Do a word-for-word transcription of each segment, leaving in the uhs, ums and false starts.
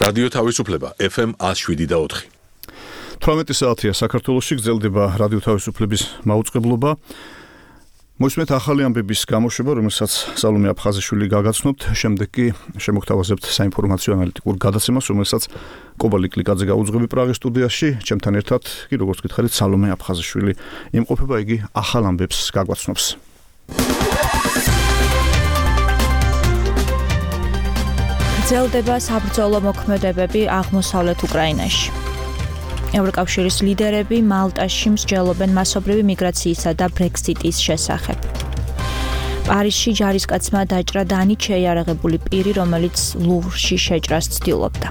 რადიო თავისუფლება ეფ ემ one oh seven და four. თვრამეტი საათია საქართველოში გრძელდება რადიო თავისუფლების მაუწყებლობა. მოისმენთ ახალი ამბების გამოშვება, რომელსაც სალომე აფხაზიშვილი გაგაცნობთ, შემდეგ კი შემოგთავაზებთ საინფორმაციო ანალიტიკურ გადაცემას, რომელსაც კობალი კლიკაძე გაუძღვები პრაღის სტუდიაში, ჩემთან ერთად კი როგორც გითხარით სალომე აფხაზიშვილი იმყოფება, იგი ახალ ამბებს გაგვაცნობს. გრძელდება საბრძოლო მოქმედებები აღმოსავლეთ უკრაინაში. ევროკავშირის ლიდერები მალტაში მსჯელობენ მასობრივი მიგრაციისა და ბრექსიტის შესახებ. პარიზში ჯარისკაცმა დაჭრა დანით შეიარაღებული პირი, რომელიც ლუვრში შეჭრას ცდილობდა.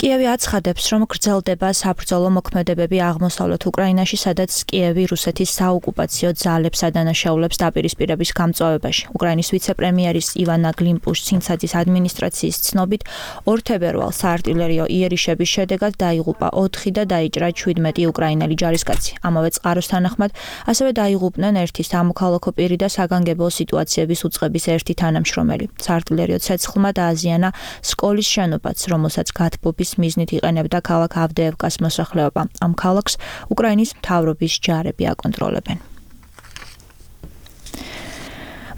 კიევი აცხადებს, რომ გრძელდება საბრძოლო მოქმედებები აღმოსავლეთ უკრაინაში, სადაც კიევი რუსეთის საოკუპაციო ძალებს ადანაშაულებს დაპირისპირების გამწვავებაში. უკრაინის ვიცე-პრემიერის ივანა გლიმპუშ-ცინცაძის ადმინისტრაციის ცნობით, ორ თებერვალს საარტილერიო იერიშების შედეგად დაიღუპა ოთხი და დაიჭრა ჩვიდმეტი უკრაინელი ჯარისკაცი. ამავე წყაროს თანახმად, ასევე დაიღუპნენ ერთი სამოქალაქო პირი და საგანგებო სიტუაციების უწყების ერთი თანამშრომელი. საარტილერიო ცეცხლმა დააზიანა სკოლის შენობაც, რომელსაც გათბობის მიზნით იყენებდა ქალაქ ავდეევკას მოსახლეობა. ამ ქალაქს უკრაინის მთავრობის ჯარები აკონტროლებენ.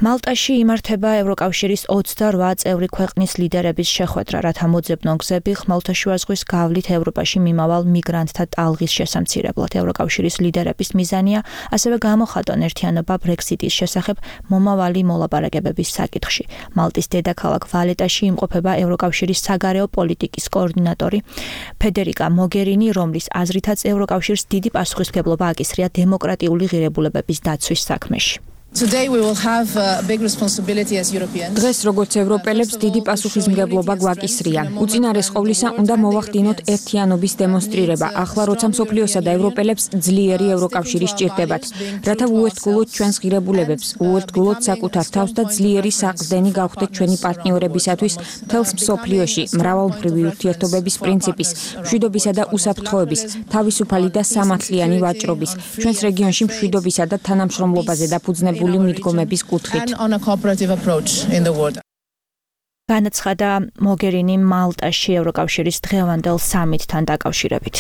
მალტაში იმართება ევროკავშირის ოცდაოთხ წევრი ქვეყნის ლიდერების შეხვედრა, რათა მოძებნონ გზები ხმელთაშუა ზღვის გავლით ევროპაში მიმავალ მიგრანტთა ტალღის შესამცირებლად. ევროკავშირის ლიდერების მიზანია ასევე გამოხატონ ერთიანობა ბრექსიტის შესახებ მომავალი მოლაპარაკებების საკითხში. მალტის დედაქალაქ ვალეტაში იმყოფება ევროკავშირის საგარეო პოლიტიკის კოორდინატორი ფედერიკა მოგერინი, რომლის აზრითაც ევროკავშირს დიდი პასუხისმგებლობა აკისრია დემოკრატიული ღირებულებების დაცვის საქმეში. დღეს როგორც ევროპელებს დიდი პასუხისმგებლობა გვაკისრია. უწინარეს ყოვლისა უნდა მოვახდინოთ ერთიანობის დემონსტრირება, ახლა როცა მსოფლიოსა და ევროპელებს ძლიერი ევროკავშირი სჭირდებათ, რათა უერთგულოთ ჩვენს ღირებულებებს, უერთგულოთ საკუთარ თავს და ძლიერი საყრდენი გავხდეთ ჩვენი პარტნიორებისათვის მთელს მსოფლიოში მრავალმხრივი ურთიერთობების პრინციპის, მშვიდობისა და უსაფრთხოების, თავისუფალი და სამართლიანი ვაჭრობის, ჩვენს რეგიონში მშვიდობისა და თანამშრომლობაზე დაფუძნებული მიდგომების კუთხით. განაცხადა მოგერინი მალტაში ევროკავშირის დღევანდელ სამიტთან დაკავშირებით.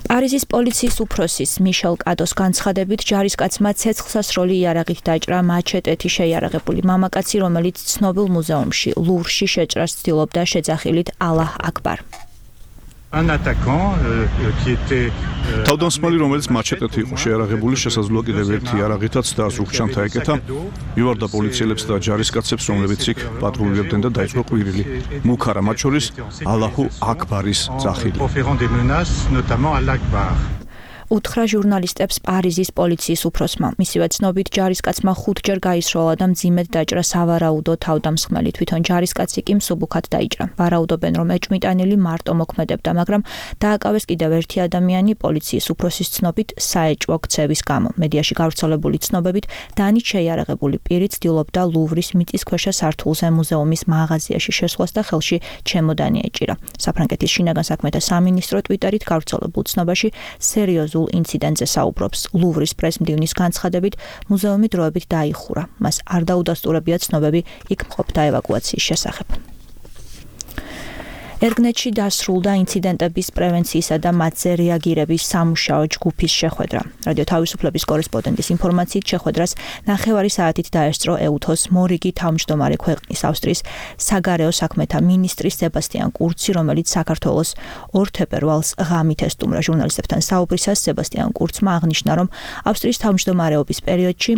პარიზის პოლიციის უფროსის მიშელ კადოს განცხადებით, ჯარისკაცმა ცეცხლსასროლი იარაღით დაჭრა მაჩეტეთი შეიარაღებული მამაკაცი, რომელიც ცნობილ მუზეუმში ლუვრში შეჭრას ცდილობდა შეძახილით ალაჰ აკბარ. თავდამსხმელი, რომელიც მაჩეტეთი იყო შეიარაღებული, შესაძლოა კიდევ ერთი იარაღითაც და ზურგჩანთა ეკეთა, მივარდა პოლიციელებს და ჯარისკაცებს, რომლებიც იქ პატრულირებდნენ და დაიწყო ყვირილი. მუქარა მათ შორის ალაჰუ აკბარის ძახილი. უთხრა ჟურნალისტებს პარიზის პოლიციის უფროსმა. მისივე ცნობით, ჯარისკაცმა ხუთჯერ გაისროლა და მძიმედ დაჭრა სავარაუდო თავდამსხმელი. თვითონ ჯარისკაცი კი მსუბუქად დაიჭრა. ვარაუდობენ, რომ ეჭვმიტანილი მარტო მოქმედებდა, მაგრამ დააკავეს კიდევ ერთი ადამიანი პოლიციის უფროსის ცნობით საეჭვო ქცევის გამო. მედიაში გავრცელებული ცნობებით, დანით შეიარაღებული პირი ცდილობდა ლუვრის მიწისქვეშა სართულზე მუზეუმის მაღაზიაში შესვლას და ხელში ჩემოდანი ეჭირა. საფრანგეთის შინაგან საქმეთა სამინისტრო ტვიტერით გავრცელებულ ცნობაში სერიოზულ ინციდენტზე საუბრობს. ლუვრის პრესმდივნის განცხადებით, მუზეუმი დროებით დაიხურა. მას არ დაუდასტურებია ცნობები იქ მყოფთა ევაკუაციის შესახებ. ერგნეთში დასრულდა ინციდენტების პრევენციისა და მათზე რეაგირების სამუშაო ჯგუფის შეხვედრა. რადიო თავისუფლების კორესპონდენტის ინფორმაციით, შეხვედრას ნახევარი საათით დაესწრო ეუთოს მორიგი თავმჯდომარე ქვეყნის ავსტრიის საგარეო საქმეთა მინისტრი სებასტიან კურცი, რომელიც საქართველოს ორ თებერვალს ღამით ესტუმრა. ჟურნალისტებთან საუბრისას სებასტიან კურცმა აღნიშნა, რომ ავსტრიის თავმჯდომარეობის პერიოდში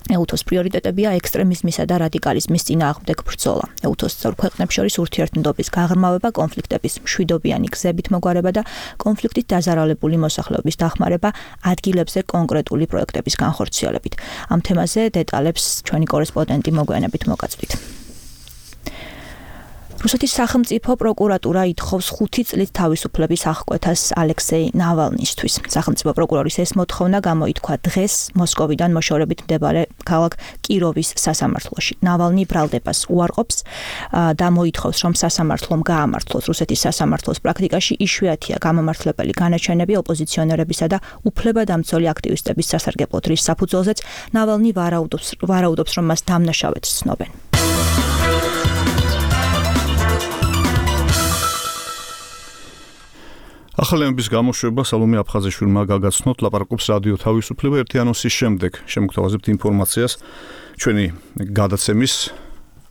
ეუთოს პრიორიტეტებია ექსტრემიზმისა და რადიკალიზმის წინააღმდეგ ბრძოლა. ეუთოს წევრ ქვეყნებს შორის ურთიერთმდობის გაღრმავება, კონფლიქტების მშვიდობიანი გზებით მოგვარება და კონფლიქტით დაზარალებული მოსახლეობის დახმარება ადგილებზე კონკრეტული პროექტების განხორციელებით. ამ თემაზე დეტალებს ჩვენი კორესპონდენტი მოგვიანებით მოგაწვით. რუსეთის სახელმწიფო პროკურატურა ითხოვს ხუთი წლით თავისუფლების აღკვეთას ალექსეი ნავალნისთვის. სახელმწიფო პროკურორის ეს მოთხოვნა გამოითქვა დღეს მოსკოვიდან მოშორებით მდებარე ქალაქ კიროვის სასამართლოში. ნავალნი ბრალდებას უარყოფს და მოითხოვს, რომ სასამართლომ გაამართლოს. რუსეთის სასამართლოს პრაქტიკაში იშვიათია გამომართლებელი განაჩენები ოპოზიციონერებისა და უფლებადამცველი აქტივისტების სასარგებლო დრის საფუძველზეც. ნავალნი ვარაუდობს, ვარაუდობს, რომ მას დამნაშავედ ცნობენ. ახალი ამბის გამოშვება სალომე აფხაზიშვილმა გაგაცნოთ ლაპარაკობს რადიო თავისუფლება ერთი ანონსის შემდეგ. შემოგთავაზებთ ინფორმაციას ჩვენი გადაცემის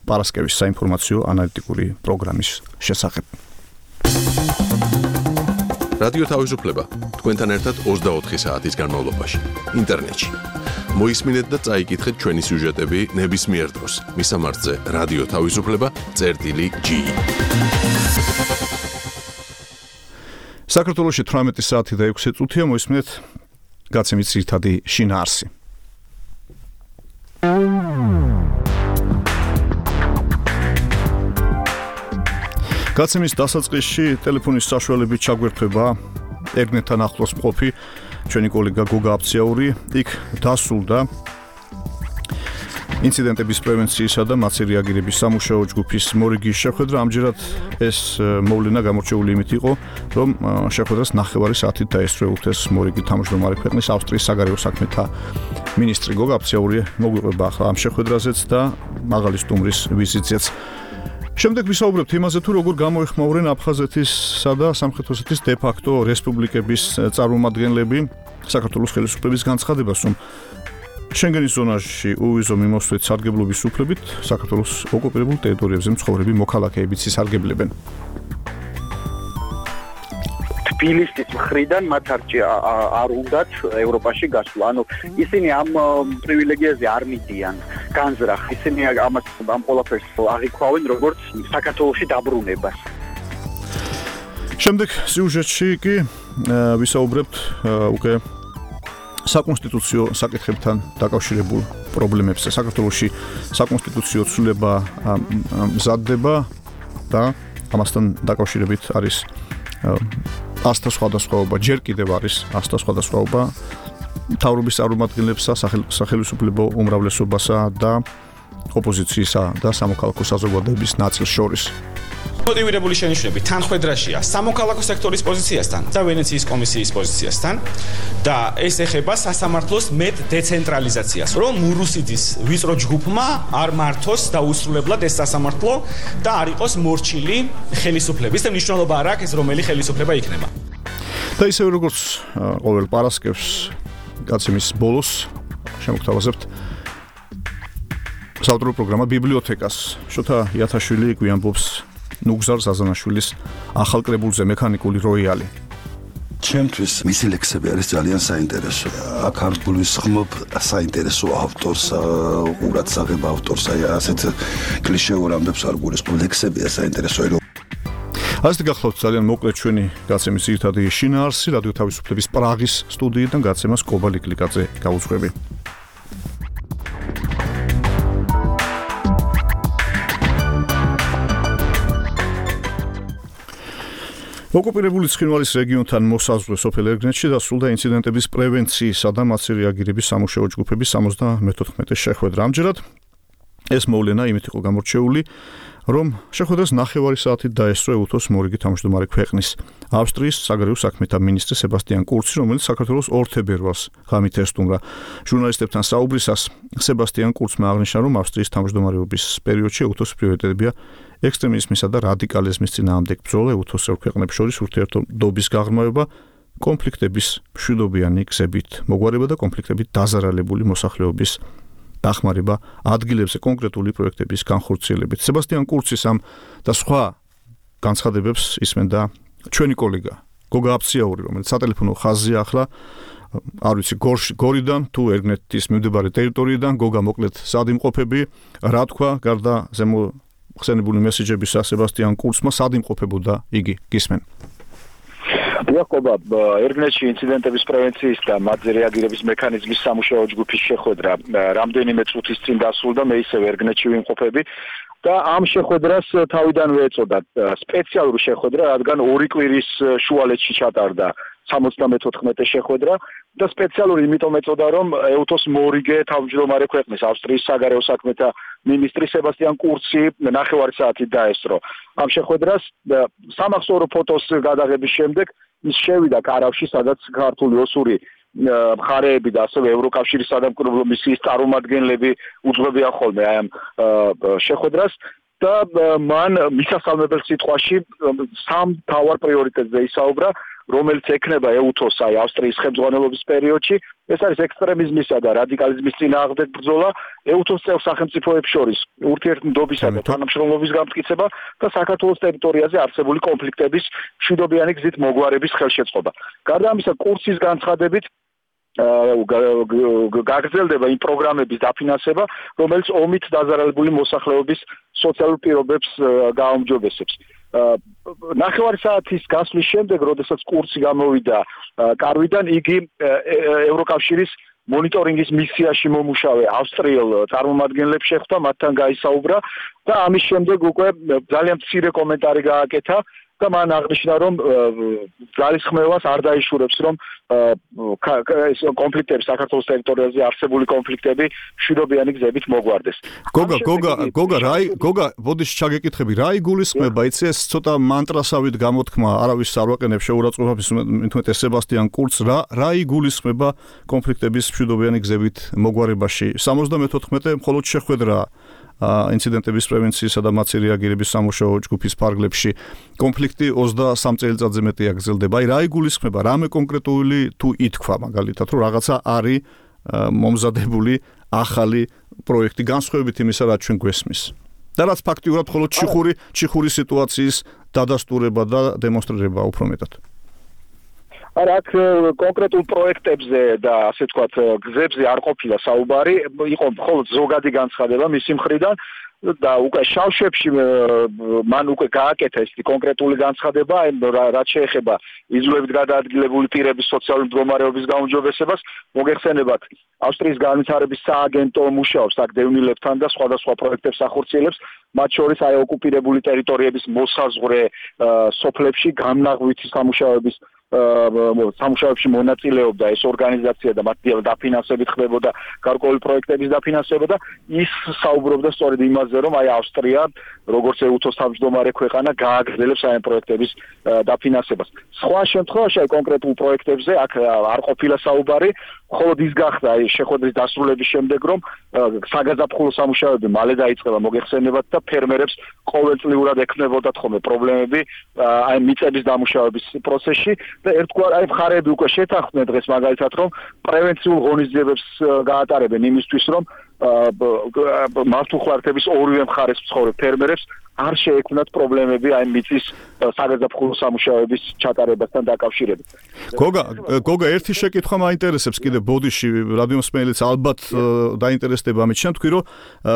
პარასკევის საინფორმაციო ანალიტიკური პროგრამის შესახებ. რადიო თავისუფლება თქვენთან ერთად ოცდაოთხი საათის განმავლობაში ინტერნეტში. მოისმინეთ და წაიკითხეთ ჩვენი სიუჟეტები ნებისმიერ დროს. მისამართზე რადიო თავისუფლება წერტილი ჯი. საქართველოში თვრამეტი საათი და ექვსი წუთია მოისმინეთ გაცემის ძირითადი შინაარსი. გაცემის დასაწყისში ტელეფონის საშუალებით ჩაგვერთვება ერგნეტთან ახლოს მყოფი ჩვენი კოლეგა გოგა აფციაური. იქ დასრულდა ინციდენტების პრევენციისა და მათზე რეაგირების სამუშაო ჯგუფის მორიგის შეხვედრა. ამჯერად ეს მოვლენა გამორჩეული იმით იყო, რომ შეხვედრას ნახევარი საათით დაესწრო უთეს მორიგი თავმჯდომარე ქვეყნის ავსტრიის საგარეო საქმეთა მინისტრი გოგა აფციაური მოგვიყვება ახლა ამ შეხვედრაზეც და მაღალი სტუმრის ვიზიტზეც. შემდეგ ვისაუბრებთ იმაზე, თუ როგორ გამოეხმაურენ აფხაზეთისა და სამხრეთ ოსეთის დე-ფაქტო რესპუბლიკების წარმომადგენლები საქართველოს ხელისუფლების განცხადებას, რომ შენგენის ზონაში უვიზო მიმოსვლით სარგებლობის უფლებით საქართველოს ოკუპირებულ ტერიტორიებზე მცხოვრები მოქალაქეებიც ისარგებლებენ. თბილისის მხრიდან მათ არ უნდათ ევროპაში გასვლა. ანუ ისინი ამ პრივილეგიაზე არ მიდიან განზრახ. ისინი ამას ამ ყველაფერს აღიქვავენ როგორც საქართველოში დაბრუნებას. შემდეგ სიუჟეტში კი ვისაუბრებთ უკვე საკონსტიტუციო საკითხებთან დაკავშირებულ პრობლემებზე. საქართველოში საკონსტიტუციო ცვლილება მზადდება და ამასთან დაკავშირებით არის ასთა სხვადასხვაობა, ჯერ კიდევ არის ასთა სხვადასხვაობა მთავრობის წარმომადგენლებსა, სახელმწიფო უმრავლესობასა და ოპოზიციისა და სამოქალაქო საზოგადოების ნაწილს შორის. მოტივირებული შენიშვნები თანხმედრაშია სამოქალაქო სექტორის პოზიციასთან და ვენეციის კომისიის პოზიციასთან და ეს ეხება სასამართლოს მეტ დეცენტრალიზაციას, რომ მურუსიძის ვიწრო ჯგუფმა არ მართოს დაუსრულებლად ეს სასამართლო და არ იყოს მორჩილი ხელისუფლების და მნიშვნელობა არ აქვს რომელი ხელისუფლება იქნება. და ისევ როგორც ყოველ პარასკევს გაცემის ბოლოს შემოგთავაზებთ საავტორო პროგრამა ბიბლიოთეკას. შოთა იათაშვილი გვიამბობს ნუგზარ ზაზანაშვილის ახალ კრებულზე მექანიკური როიალი. ჩემთვის მისი ლექსები არის ძალიან საინტერესო. აქ არ გულისხმობ საინტერესო ავტორს, ყურადსაღებ ავტორს, აი ასეთ კლიშეურ ამბებს არ გულისხმობ. ლექსებია საინტერესო. ასეთი გახლავთ ძალიან მოკლედ ჩვენი გაცემის ძირითადი შინაარსი რადიო თავისუფლების პრაღის სტუდიიდან გაცემას კობა ლიკლიკაძე გაუძღვები. ოკუპირებული ცხინვალის რეგიონთან მოსაზღვრე სოფელ ერგნეტში დასრულდა ინციდენტების პრევენციისა და მათზე რეაგირების სამუშაო ჯგუფების სამოცდამეთოთხმეტე შეხვედრა. ამჯერად ეს მოვლენა იმით იყო გამორჩეული, რომ შეხვედრას ნახევარი საათით დაესწრო უთოს მორიგი თავმჯდომარე ქვეყნის ავსტრიის საგარეო საქმეთა მინისტრი სებასტიან კურცი, რომელიც საქართველოს ორ თებერვალს ღამით ესტუმრა. ჟურნალისტებთან საუბრისას სებასტიან კურცმა აღნიშნა, რომ ავსტრიის თავმჯდომარეობის პერიოდში უთოს პრიორიტეტებია ექსტრემიზმისა და რადიკალიზმის წინააღმდეგ ბრძოლა, უთოს ორ ქვეყნებს შორის ურთიერთობის გაღრმავება, კონფლიქტების მშვიდობიანი გზებით მოგვარება და კონფლიქტებით დაზარალებული მოსახლეობის დახმარება ადგილებზე კონკრეტული პროექტების განხორციელებით. სებასტიან კურცის ამ და სხვა განცხადებებს ისმენდა ჩვენი კოლეგა გოგა აფციაური, რომელიც სატელეფონო ხაზია ახლა არ ვიცი გორიდან თუ ერგნეტის მიმდებარე ტერიტორიიდან. გოგა მოკლედ სად იმყოფები, რა თქვა გარდა ზემო ხსენებული მესიჯებისა სებასტიან კურცმა, სად იმყოფებოდა იგი, გისმენ? იაკობა, ერგნეთში ინციდენტების პრევენციის და მათზე რეაგირების მექანიზმის სამუშაო ჯგუფის შეხვედრა რამდენიმე წუთის წინ დასრულდა, მე ისევ ერგნეთში ვიმყოფები და ამ შეხვედრას თავიდანვე ეწოდა სპეციალური შეხვედრა, რადგან ორი კვირის შუალედში ჩატარდა სამოცდამეთოთხმეტე შეხვედრა და სპეციალური იმიტომ ეწოდა, რომ ეუთოს მორიგე თავმჯდომარე ქვეყნის ავსტრიის საგარეო საქმეთა მინისტრი სებასტიან კურცი ნახევარი საათით დაესწრო. ამ შეხვედრას სამახსოვრო ფოტოს გადაღების შემდეგ ის შევიდა კარავში, სადაც ქართული ოსური მხარეები და ასევე ევროკავშირის სადამკვირვებლო მისიის წარმომადგენლები უძღვებიან ხოლმე აი ამ შეხვედრას და მან მისასალმებელ სიტყვაში სამ მთავარ პრიორიტეტზე ისაუბრა, რომელიც ექნება ეუთოს აი ავსტრიის ხელმძღვანელობის პერიოდში. ეს არის ექსტრემიზმისა და რადიკალიზმის წინააღმდეგ ბრძოლა, ეუთოს წევრ სახელმწიფოებს შორის ურთიერთმდობისა და თანამშრომლობის გამტკიცება და საქართველოს ტერიტორიაზე არსებული კონფლიქტების მშვიდობიანი გზით მოგვარების ხელშეწყობა. გარდა ამისა, კურსის განცხადებით გაგრძელდება იმ პროგრამების დაფინანსება, რომელიც ომით დაზარალებული მოსახლეობის სოციალურ პირობებს გააუმჯობესებს. ნახევარი საათის გასვლის შემდეგ, როდესაც კურსი გამოვიდა კარვიდან, იგი ევროკავშირის მონიტორინგის მისიაში მომუშავე ავსტრიელ წარმომადგენლებს შეხვდა, მათთან გაისაუბრა და ამის შემდეგ უკვე ძალიან მცირე კომენტარი გააკეთა და მან აღნიშნა, რომ ძალისხმევას არ დაიშურებს, რომ ეს კონფლიქტები საქართველოს ტერიტორიაზე არსებული კონფლიქტები მშვიდობიანი გზებით მოგვარდეს. გოგა, გოგა, გოგა, რაი, გოგა, ბოდიში ჩაგეკითხები, რა იგულისხმება, იცი ეს ცოტა მანტრასავით გამოთქმა, არავის არ ვაყენებ შეურაცხყოფას, მithumetes სებასტიან კურცს, რა რა იგულისხმება კონფლიქტების მშვიდობიანი გზებით მოგვარებაში? სამოცდამეთოთხმეტე მხოლოდ შეხვედრაა ინციდენტების პრევენციისა და მათზე რეაგირების სამუშაო ჯგუფის ფარგლებში. კონფლიქტი ოცდასამ წელიწადზე მეტია გრძელდება. აი რა იგულისხმება, რამე კონკრეტული თუ ითქვა მაგალითად, რომ რაღაცა არის მომზადებული ახალი პროექტი განსხვავებით იმისა, რაც ჩვენ გვესმის. და რაც ფაქტიურად მხოლოდ ჩიხური, ჩიხური სიტუაციის დადასტურება და დემონსტრირება უფრო მეტად. არა, აქ კონკრეტულ პროექტებზე და ასე ვთქვათ, გზებზე არ ყოფილა საუბარი, იყო მხოლოდ ზოგადი განცხადება მისი მხრიდან და უკვე შავშებში მან უკვე გააკეთა ეს კონკრეტული განცხადება, რაც შეეხება იზოლებით გადაადგილებული პირების სოციალური მდგომარეობის გაუმჯობესებას, მოგეხსენებათ, ავსტრიის განვითარების სააგენტო მუშაობს აქ დევნილებთან და სხვადასხვა პროექტებს ახორციელებს, მათ შორის აი ოკუპირებული ტერიტორიების მოსაზღვრე სოფლებში გამნაღვითი სამუშაოების სამუშაოებში მონაწილეობდა ეს ორგანიზაცია და მათ დაფინანსებით ხდებოდა გარკვეული პროექტების დაფინანსება და ის საუბრობდა სწორედ იმაზე, რომ აი ავსტრია, როგორც ეუთოს თავმჯდომარე ქვეყანა, გააგრძელებს აი ამ პროექტების დაფინანსებას. სხვა შემთხვევაში აი კონკრეტულ პროექტებზე აქ არ ყოფილა საუბარი, მხოლოდ ის გახდა აი შეხვედრის დასრულების შემდეგ, რომ საგაზაფხულო სამუშაოები მალე დაიწყება, მოგეხსენებათ და ფერმერებს ყოველწლიურად ექნებოდათ ხოლმე პრობლემები აი მიწების დამუშავების პროცესში. და ერთგვარ აი მხარეები უკვე შეთანხმდნენ დღეს მაგალითად, რომ პრევენციულ ღონისძიებებს გაატარებენ იმისთვის, რომ მართლმხლართების ორივე მხარეს მცხოვრებ ფერმერებს არ შეექმნათ პრობლემები აი მიწის საგაზაფხულო სამუშაოების ჩატარებასთან დაკავშირებით. გოგა, გოგა, ერთი შეკითხვა მაინტერესებს კიდე ბოდიში, რადიომსმენელიც ალბათ დაინტერესდება ამით. შენ თქვი, რომ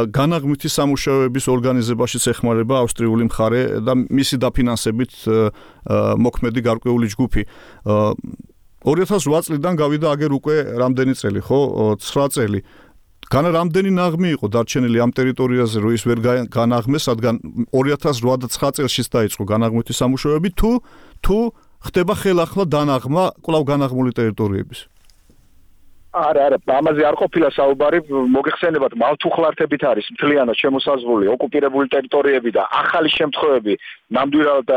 განაღმვითი სამუშაოების ორგანიზებაშიც ეხმარება ავსტრიული მხარე და მისი დაფინანსებით მოქმედი გარკვეული ჯგუფი. ორი ათას ოთხ წლიდან გავიდა აგერ უკვე რამდენი წელი, ხო? ცხრა წელი. განა რამდენი ნაღმი იყო დარჩენილი ამ ტერიტორიაზე, რომ ის ვერ განაღმეს, რადგან ორი ათას ოთხ და ცხრა წელშიც დაიწყო განაღმვითი სამუშაოები, თუ თუ ხდება ხელახლა დანაღმა კვლავ განაღმული ტერიტორიების? არა, არა, ამაზე არ ყოფილა საუბარი, მოგეხსენებათ, მართლმხლართებით არის მთლიანად შემოსაზღვრული ოკუპირებული ტერიტორიები და ახალი შემთხვევები ნამდვილად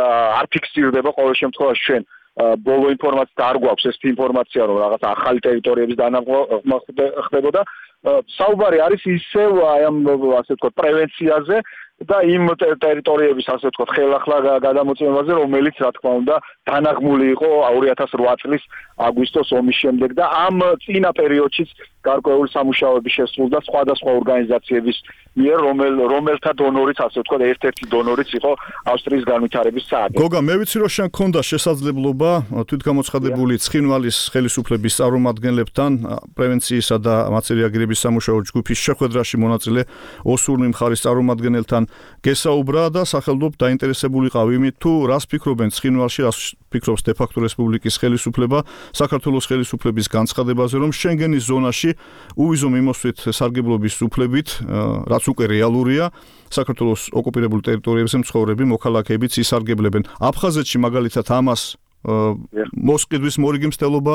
არ ფიქსირდება ყოველ შემთხვევაში ჩვენ ბოლო ინფორმაცია არ გვაქვს ეს ინფორმაცია, რომ რაღაც ახალი ტერიტორიების დანაღმა ხდებოდა. საუბარი არის ისევ აი ამ ასე ვთქვათ პრევენციაზე და იმ ტერიტორიების ასე ვთქვათ ხელახლა გადამოწმებაზე, რომელიც რა თქმა უნდა დანაღმული იყო ორი ათას ოთხ წლის აგვისტოს ომის შემდეგ და ამ წინა პერიოდშიც გარკვეული სამუშაოები შესრულდა სხვადასხვა ორგანიზაციების მიერ, რომელ რომელთა დონორიც, ასე ვთქვათ, ერთ-ერთი დონორიც იყო ავსტრიის განვითარების სააგენტო. გოგა, მე ვიცი, რომ შენ გქონდა შესაძლებლობა თვითგამოცხადებული ცხინვალის ხელისუფლების წარმომადგენლებთან პრევენციისა და მაწერიაგირების სამუშაო ჯგუფის შეხვედრაში მონაწილე ოსურნი მხარის წარმომადგენელთან გესაუბრა და სახელმწიფო დაინტერესებულიყავი იმით, თუ რას ფიქრობენ ცხინვალში, რას ფიქრობს დე-ფაქტო რესპუბლიკის ხელისუფლება საქართველოს ხელისუფლების განცხადებაზე, რომ შენგენის ზონაში უვიზო მიმოსვლით სარგებლობის უფლებით, რაც უკვე რეალურია, საქართველოს ოკუპირებულ ტერიტორიებზე მცხოვრები მოქალაქეებიც ისარგებლებენ. აფხაზეთში მაგალითად ამას მოსყიდვის მორიგი მცდელობა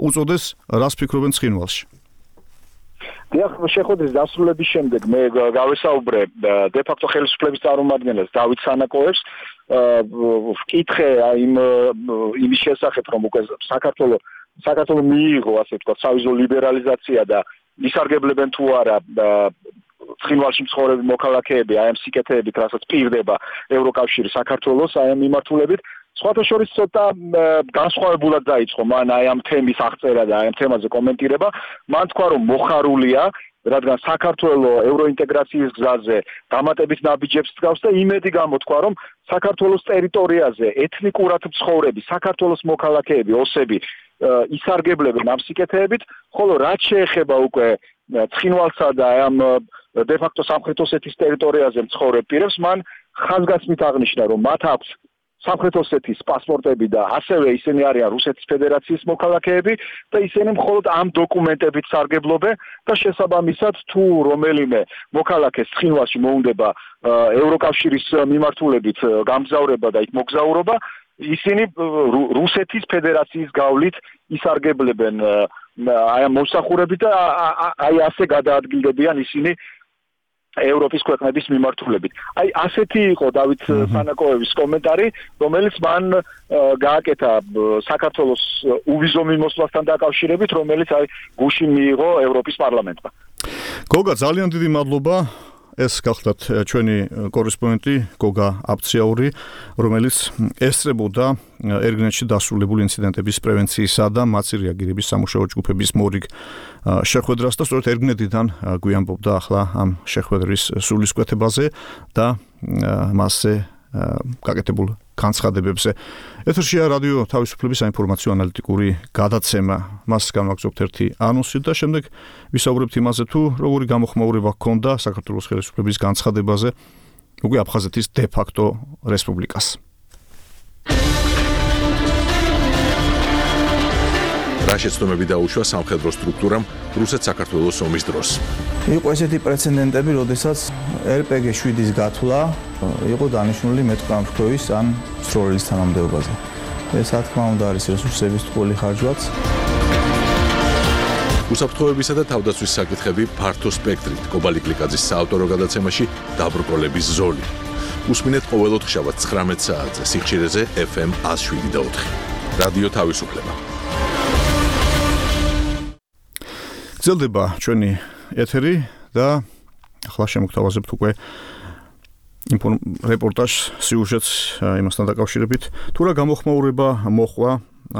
უწოდეს, რას ფიქრობენ ცხინვალში? დიახ, შეხვედრის დასრულების შემდეგ მე გავესაუბრე დე-ფაქტო ხელისუფლების წარმომადგენელს დავით სანაკოევს, ვკითხე იმ იმის შესახებ, რომ უკვე საქართველოს საქართველოს მიიღო, ასე ვთქვათ, სავიზო ლიბერალიზაცია და ისარგებლებენ თუ არა ცხინვალში მცხოვრები მოქალაქეები აი ამ სიკეთეებით, რასაც პირდება ევროკავშირი საქართველოს აი ამ მიმართულებით. სხვათა შორის ცოტა განსხვავებულად დაიწყო მან აი ამ თემის აღწერა და აი ამ თემაზე კომენტირება. მან თქვა, რომ მოხარულია, რადგან საქართველოს ევროინტეგრაციის გზაზე დამატებით ნაბიჯებს დგავს და იმედი გამოთქვა, რომ საქართველოს ტერიტორიაზე ეთნიკურად მცხოვრები საქართველოს მოქალაქეები, ოსები ისარგებლებენ ამ სიკეთეებით, ხოლო რაც შეეხება უკვე ცხინვალსა და ამ დე-ფაქტო სამხრეთ ოსეთის ტერიტორიაზე მცხოვრებ პირებს, მან ხაზგასმით აღნიშნა, რომ მათ აქვს სამხრეთ ოსეთის პასპორტები და ასევე ისინი არიან რუსეთის ფედერაციის მოქალაქეები და ისინი მხოლოდ ამ დოკუმენტებით სარგებლობენ და შესაბამისად თუ რომელიმე მოქალაქეს ცხინვალში მოუნდება ევროკავშირის მიმართულებით გამგზავრება და იქ მოგზაურობა, ისინი რუსეთის ფედერაციის გავლით ისარგებლებენ აი ამ მოსახურებით და აი ასე გადაადგილდებიან ისინი ევროპის ქვეყნების მიმართულებით. აი ასეთი იყო დავით სანაკოევის კომენტარი, რომელიც მან გააკეთა საქართველოს უვიზო მიმოსვლასთან დაკავშირებით, რომელიც აი გუშინ მიიღო ევროპის პარლამენტმა. გოგა, ძალიან დიდი მადლობა. ეს გახლდათ ჩვენი კორესპონდენტი გოგა აბციაური, რომელიც ესწრებოდა ერგნეთში დასრულებული ინციდენტების პრევენციისა და მაწერიაგირების სამუშაო ჯგუფების მორიგ შეხვედრას და სწორედ ერგნეთიდან გვიამბობდა ახლა ამ შეხვედრის სულისკვეთებაზე და მასზე გაკეთებულ განცხადებებზე. ეთერშია რადიო თავისუფლების საინფორმაციო ანალიტიკური გადაცემა. მას განვაგრძობთ ერთი ანონსი და შემდეგ ვისაუბრებთ იმაზე, თუ როგორი გამოხმაურება ჰქონდა საქართველოს ხელისუფლების განცხადებაზე უკვე აფხაზეთის დე-ფაქტო რესპუბლიკას. რა შეცდომები დაუშვა სამხედრო სტრუქტურამ რუსეთ-საქართველოს ომის დროს. იყო ესეთი პრეცედენტები, როდესაც ელ პე გი შვიდის გათვლა იყო დანიშნული მეტყამშქოვის ან სროლის თანამდებობაზე. ეს რა თქმა უნდა არის რესურსების ტყუილი ხარჯვაც. უსაფრთხოებისა და თავდაცვის საკითხები ფართო სპექტრით კობალი კლიკაძის საავტორო გადაცემაში დაბრკოლების ზოლი. უსმინეთ ყოველ ოთხშაბათს ცხრამეტ საათზე სიხშირეზე ეფ ემ ათს შვიდი და ოთხი. რადიო თავისუფლება. გრძელდება ჩვენი ეთერი და ახლა შემოგთავაზებთ უკვე რეპორტაჟს, სიუჟეტს იმასთან დაკავშირებით, თუ რა გამოხმაურება მოხდა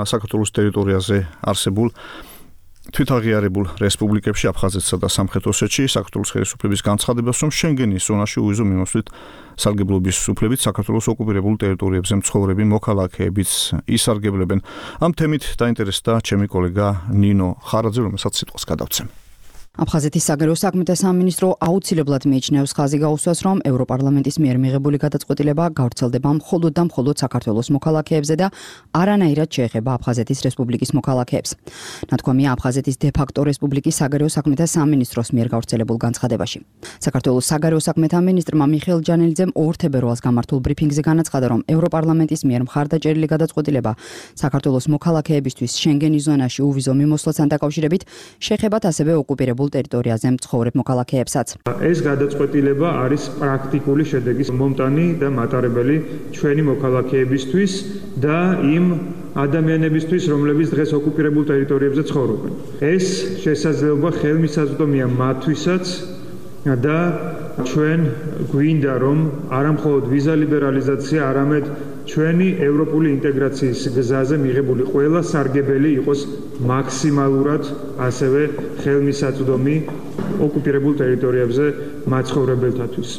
საქართველოს ტერიტორიაზე არსებულ თვითაღიარებულ რესპუბლიკებში აფხაზეთსა და სამხრეთ ოსეთში საქართველოს ხელისუფლების განცხადებას, რომ შენგენის ზონაში უვიზო მიმოსვლით სარგებლობის უფლებით საქართველოს ოკუპირებულ ტერიტორიებზე მცხოვრები მოქალაქეებიც ისარგებლებენ. ამ თემით დაინტერესდა ჩემი კოლეგა ნინო ხარაძე, რომელსაც სიტყვას გადავცემ. აფხაზეთის საგარეო საქმეთა სამინისტრო აუცილებლად მიიჩნევს ხაზი გაუსვას, რომ ევროპარლამენტის მიერ მიღებული გადაწყვეტილება გავრცელდება მხოლოდ და მხოლოდ საქართველოს მოქალაქეებზე და არანაირად შეეხება აფხაზეთის რესპუბლიკის მოქალაქეებს. ნათქვამია აფხაზეთის დე-ფაქტო რესპუბლიკის საგარეო საქმეთა სამინისტროს მიერ გავრცელებულ განცხადებაში. საქართველოს საგარეო საქმეთა მინისტრმა მიხეილ ჯანელიძემ ორ თებერვალს გამართულ ბრიფინგზე განაცხადა, რომ ევროპარლამენტის მიერ მხარდაჭერილი გადაწყვეტილება საქართველოს მოქალაქეებისთვის შენგენის ზონაში უვიზო მიმოსვლასთან დაკავშირებით შეეხებათ ასევე ოკუპირებულ ტერიტორიაზე მცხოვრებ მოქალაქეებსაც. ეს გადაწყვეტილება არის პრაქტიკული შედეგის მომტანი და მატარებელი ჩვენი მოქალაქეებისთვის და იმ ადამიანებისთვის, რომლებიც დღეს ოკუპირებულ ტერიტორიებზე ცხოვრობენ. ეს შესაძლებლობა ხელმისაწვდომია მათთვისაც და ჩვენ გვინდა რომ არა მხოლოდ ვიზა ლიბერალიზაცია, არამედ ჩვენი ევროპული ინტეგრაციის გზაზე მიღებული ყველა სარგებელი იყოს მაქსიმალურად ასევე ხელმისაწვდომი ოკუპირებულ ტერიტორიებზე მაცხოვრებელთათვის.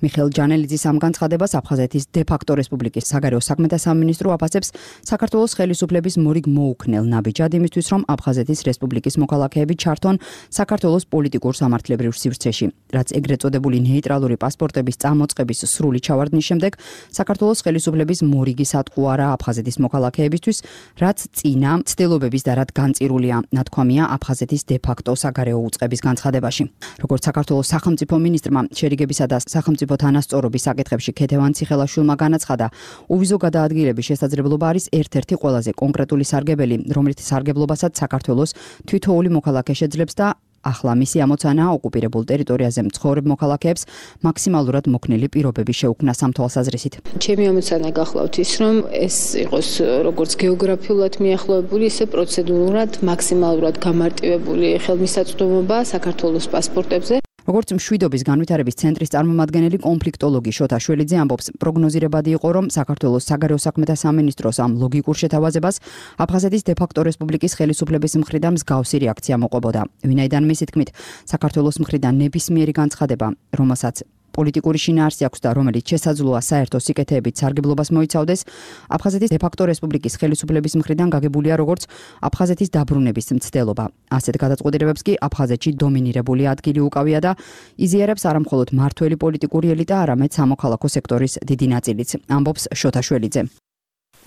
მიხეილ ჯანელიძის ამ განცხადებას აფხაზეთის დე-ფაქტო რესპუბლიკის საგარეო საქმეთა სამინისტრო აფასებს საქართველოს ხელისუფლების მორიგ მოუქნელ ნაბიჯად იმისთვის, რომ აფხაზეთის რესპუბლიკის მოქალაქეები ჩართონ საქართველოს პოლიტიკურ სამართლებრივ სივრცეში. რაც ეგრეთ წოდებული ნეიტრალური პასპორტების წამოწყების სრული ჩავარდნის შემდეგ საქართველოს ხელისუფლების მორიგი სატყუარა აფხაზეთის მოქალაქეებისთვის, რაც წინა ცდილობების და რაც განწირულია, ნათქვამია აფხაზეთის დე-ფაქტო საგარეო უწყების განცხადებაში. როგორც საქართველოს სახელმწიფო მინისტრმა შერიგებისა და სახელმწიფო თანასწორობის საკითხებში ქეთევან ციხელაშვილმა განაცხადა, უვიზო გადაადგილების შესაძლებლობა არის ერთ-ერთი ყველაზე კონკრეტული სარგებელი, რომელიც სარგებლობასაც საქართველოს თითოეული მოქალაქე შეძლებს და ახლა მისი ამოცანაა ოკუპირებულ ტერიტორიაზე მცხოვრებ მოქალაქეებს მაქსიმალურად მოქნილი პირობები შეუქმნა ამ თვალსაზრისით. ჩემი ამოცანა გახლავთ ის, რომ ეს იყოს როგორც გეოგრაფიულად მიახლოებული, ისე პროცედურულად მაქსიმალურად გამარტივებული ხელმისაწვდომობა საქართველოს პასპორტებზე. როგორც მშვიდობის განვითარების ცენტრის წარმომადგენელი კონფლიქტოლოგი შოთა შველიძე ამბობს, პროგნოზირებადი იყო, რომ საქართველოს საგარეო საქმეთა სამინისტროს ამ ლოგიკურ შეთავაზებას აფხაზეთის დე-ფაქტო რესპუბლიკის ხელისუფლების მხრიდან მსგავსი რეაქცია მოყვებოდა. ვინაიდან მისი თქმით, საქართველოს მხრიდან ნებისმიერი განცხადება, რომელსაც პოლიტიკური შინაარსი აქვს და რომელიც შესაძლოა საერთო სიკეთეებით სარგებლობას მოიცავდეს, აფხაზეთის დე-ფაქტო რესპუბლიკის ხელისუფლების მხრიდან გაგებულია როგორც აფხაზეთის დაბრუნების მცდელობა. ასეთ გადაწყვეტილებებს კი აფხაზეთში დომინირებული ადგილი უკავია და იზიარებს არამხოლოდ მართველი პოლიტიკური ელიტა, არამედ სამოქალაქო სექტორის დიდი ნაწილიც, ამბობს შოთა შველიძე.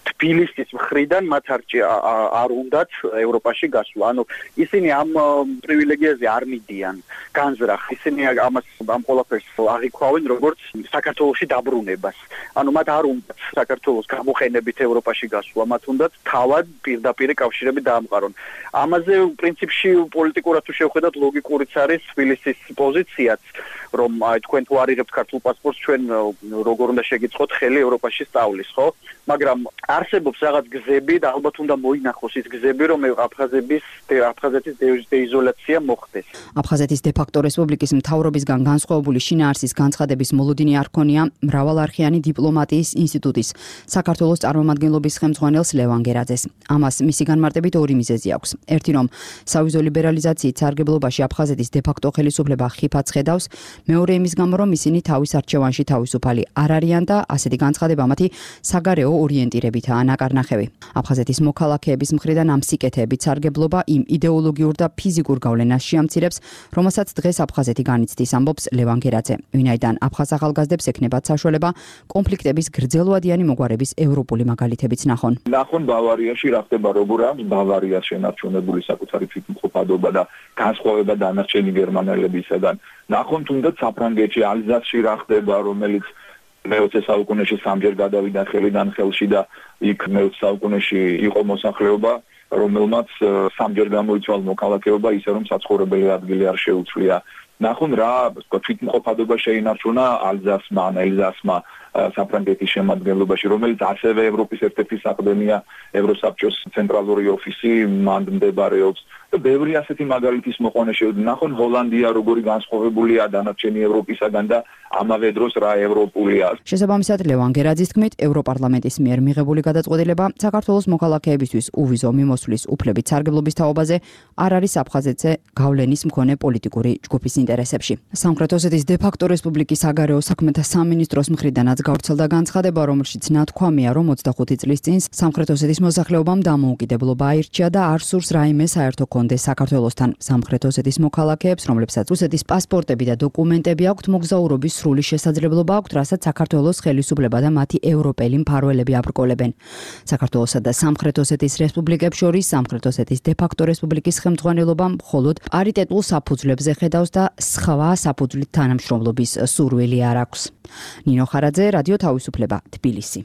თბილისის მხრიდან მათ არ უნდათ ევროპაში გასვლა. ანუ ისინი ამ პრივილეგიაზე არ მიდიან განზრახ. ისინი ამას ამ ყველაფერს აღიქვავენ როგორც საქართველოში დაბრუნებას. ანუ მათ არ უნდათ საქართველოს გამოყენებით ევროპაში გასვლა, მათ უნდათ თავად პირდაპირ კავშირები დაამყარონ. ამაზე პრინციპში პოლიტიკურად თუ შევხედათ ლოგიკურიც არის თბილისის პოზიციაც, რომ აი თქვენ თუ არიღებთ ქართულ პასპორტს, ჩვენ როგორ უნდა შეგიწყოთ ხელი ევროპაში სწავლის, ხო? მაგრამ არსებობს რაღაც გზები და ალბათ უნდა მოინახოს ის გზები, რომ აფხაზების აფხაზეთის დეიზოლაცია მოხდეს. აფხაზეთის დე-ფაქტო რესპუბლიკის მთავრობისგან განსხვავებული შინაარსის განცხადების მოლოდინი არ ქონია მრავალარხიანი დიპლომატიის ინსტიტუტის საქართველოს წარმომადგენლობის ხელმძღვანელს ლევან გერაძეს. ამას მისი განმარტებით ორი მიზეზი აქვს. ერთი, რომ სავიზო ლიბერალიზაციით სარგებლობაში აფხაზეთის დე-ფაქტო ხელისუფლება ხიფათს ხედავს, მეორე იმის გამო, რომ ისინი თავის არჩევანში თავისუფალი არ არიან და ასეთი განცხადება მათი საგარეო ორიენტირებითაა ნაკარნახევი. აფხაზეთის მოქალაქეების მხრიდან ამ სიკეთეებით სარგებლობა იმ იდეოლოგიურ და ფიზიკურ გავლენას შეამცირებს, რომელსაც დღეს აფხაზეთი განიცდის, ამბობს ლევან გერაძე. ვინაიდან აფხაზ ახალგაზრდებს ექნებათ საშუალება კონფლიქტების გრძელვადიანი მოგვარების ევროპული მაგალითებიც ნახონ. ნახონ ბავარიაში რა ხდება, როგორ არის ბავარიას შენარჩუნებული საკუთარი თვითმყოფადობა და განსხვავება დანარჩენი გერმანელებისაგან. ნახონ თუნდაც საფრანგეთში ალზასში რა ხდება, რომელიც მეოცე საუკუნეში სამჯერ გადავიდა ხელიდან ხელში და იქ მეოცე საუკუნეში იყო მოსახლეობა, რომელმაც სამჯერ გამოიცვალა მოქალაქეობა, ისე რომ საცხოვრებელი ადგილი არ შეუცვლია. ნახონ რა თვითმყოფადობა შეინარჩუნა ალზასმა, ელზასმა საფრანგეთის შემადგენლობაში, რომელიც ასევე ევროპის ერთ-ერთი საყრდენია, ევროსაბჭოს ცენტრალური ოფისი მან მდებარეობს. და ბევრი ასეთი მაგალითის მოყვანა შეუძლია. ნახონ ჰოლანდია როგორი განსხვავებულია დანარჩენი ევროპისაგან და ამავე დროს რა ევროპულია. შესაბამისად, ლევან გერაძის თქმით, ევროპარლამენტის მიერ მიღებული გადაწყვეტილება საქართველოს მოქალაქეებისთვის უვიზო მიმოსვლის უფლებით სარგებლობის თაობაზე არ არის აფხაზეთზე გავლენის მქონე პოლიტიკური ჯგუფის ინტერესებში. სამხრეთ ოსეთის დე-ფაქტო რესპუბლიკის საგარეო საქმეთა სამინისტროს მხრიდანაც გავრცელდა განცხადება, რომელშიც ნათქვამია, რომ ოცდახუთი წლის წინ სამხრეთ ოსეთის მოსახლეობამ დამოუკიდებლობა აირჩია და არ სურს რაიმე საერთო კონდეს საქართველოსთან. სამხრეთ ოსეთის მოქალაქეებს, რომლებსაც რუსეთის პასპორტები და დოკუმენტები აქვთ, მოგზაურობის სრული შესაძლებლობა აქვთ, რასაც საქართველოს ხელისუფლება და მათი ევროპელი მფარველები აბრკოლებენ. საქართველოსა და სამხრეთ ოსეთის რესპუბლიკებს შორის სამხრეთ ოსეთის დე-ფაქტო რესპუბლიკის ხელმძღვანელობა მხოლოდ პარიტეტულ საფუძვლებზე ხედავს და სხვა საფუძვლით თანამშრომლობის სურვილი არ აქვს. ნინო ხარაძე, რადიო თავისუფლება, თბილისი.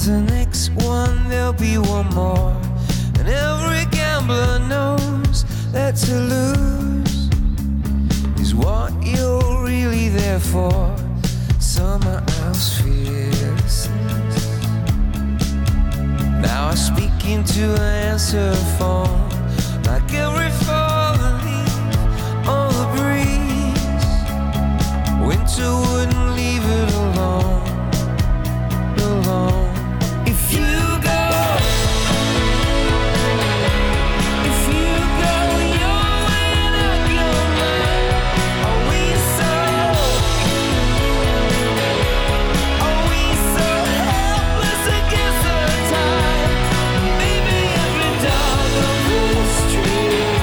The next one, there'll be one more. care for someone else fearlessness. Now I speak into an answer phone like every falling leaf on the breeze. Winter wouldn't leave it alone, alone. If you go, if you go your way and I go mine, are we so, are we so helpless against the tide? Maybe every dog on the street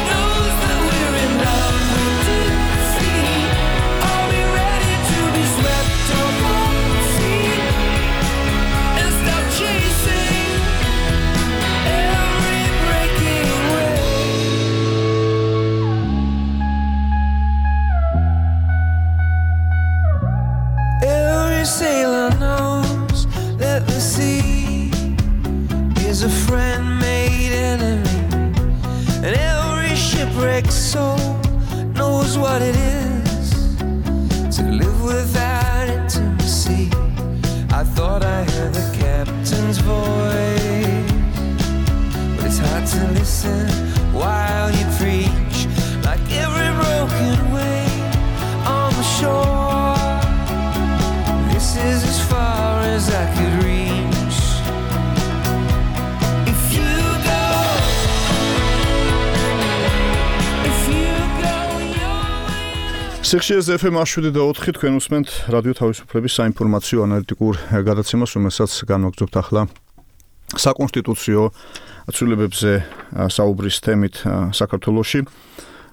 knows that we're in love with defeat. Are we ready to be swept off our feet and stop chasing every breaking wave? Every sailor knows that the sea is a friend made enemy, and every shipwrecked soul knows what it is to live without intimacy. I thought I heard the captain's voice, but it's hard to listen while you preach like every broken wave on the shore. This is as far as I could reach. If you go, if you go your way. სიხშირეზე ეფ ემ შვიდი და ოთხი თქვენ უსმენთ რადიო თავისუფლების საინფორმაციო ანალიტიკურ გადაცემას, რომელსაც განვაგრძობთ ახლა საკონსტიტუციო ცვლილებებზე საუბრის თემით საქართველოში.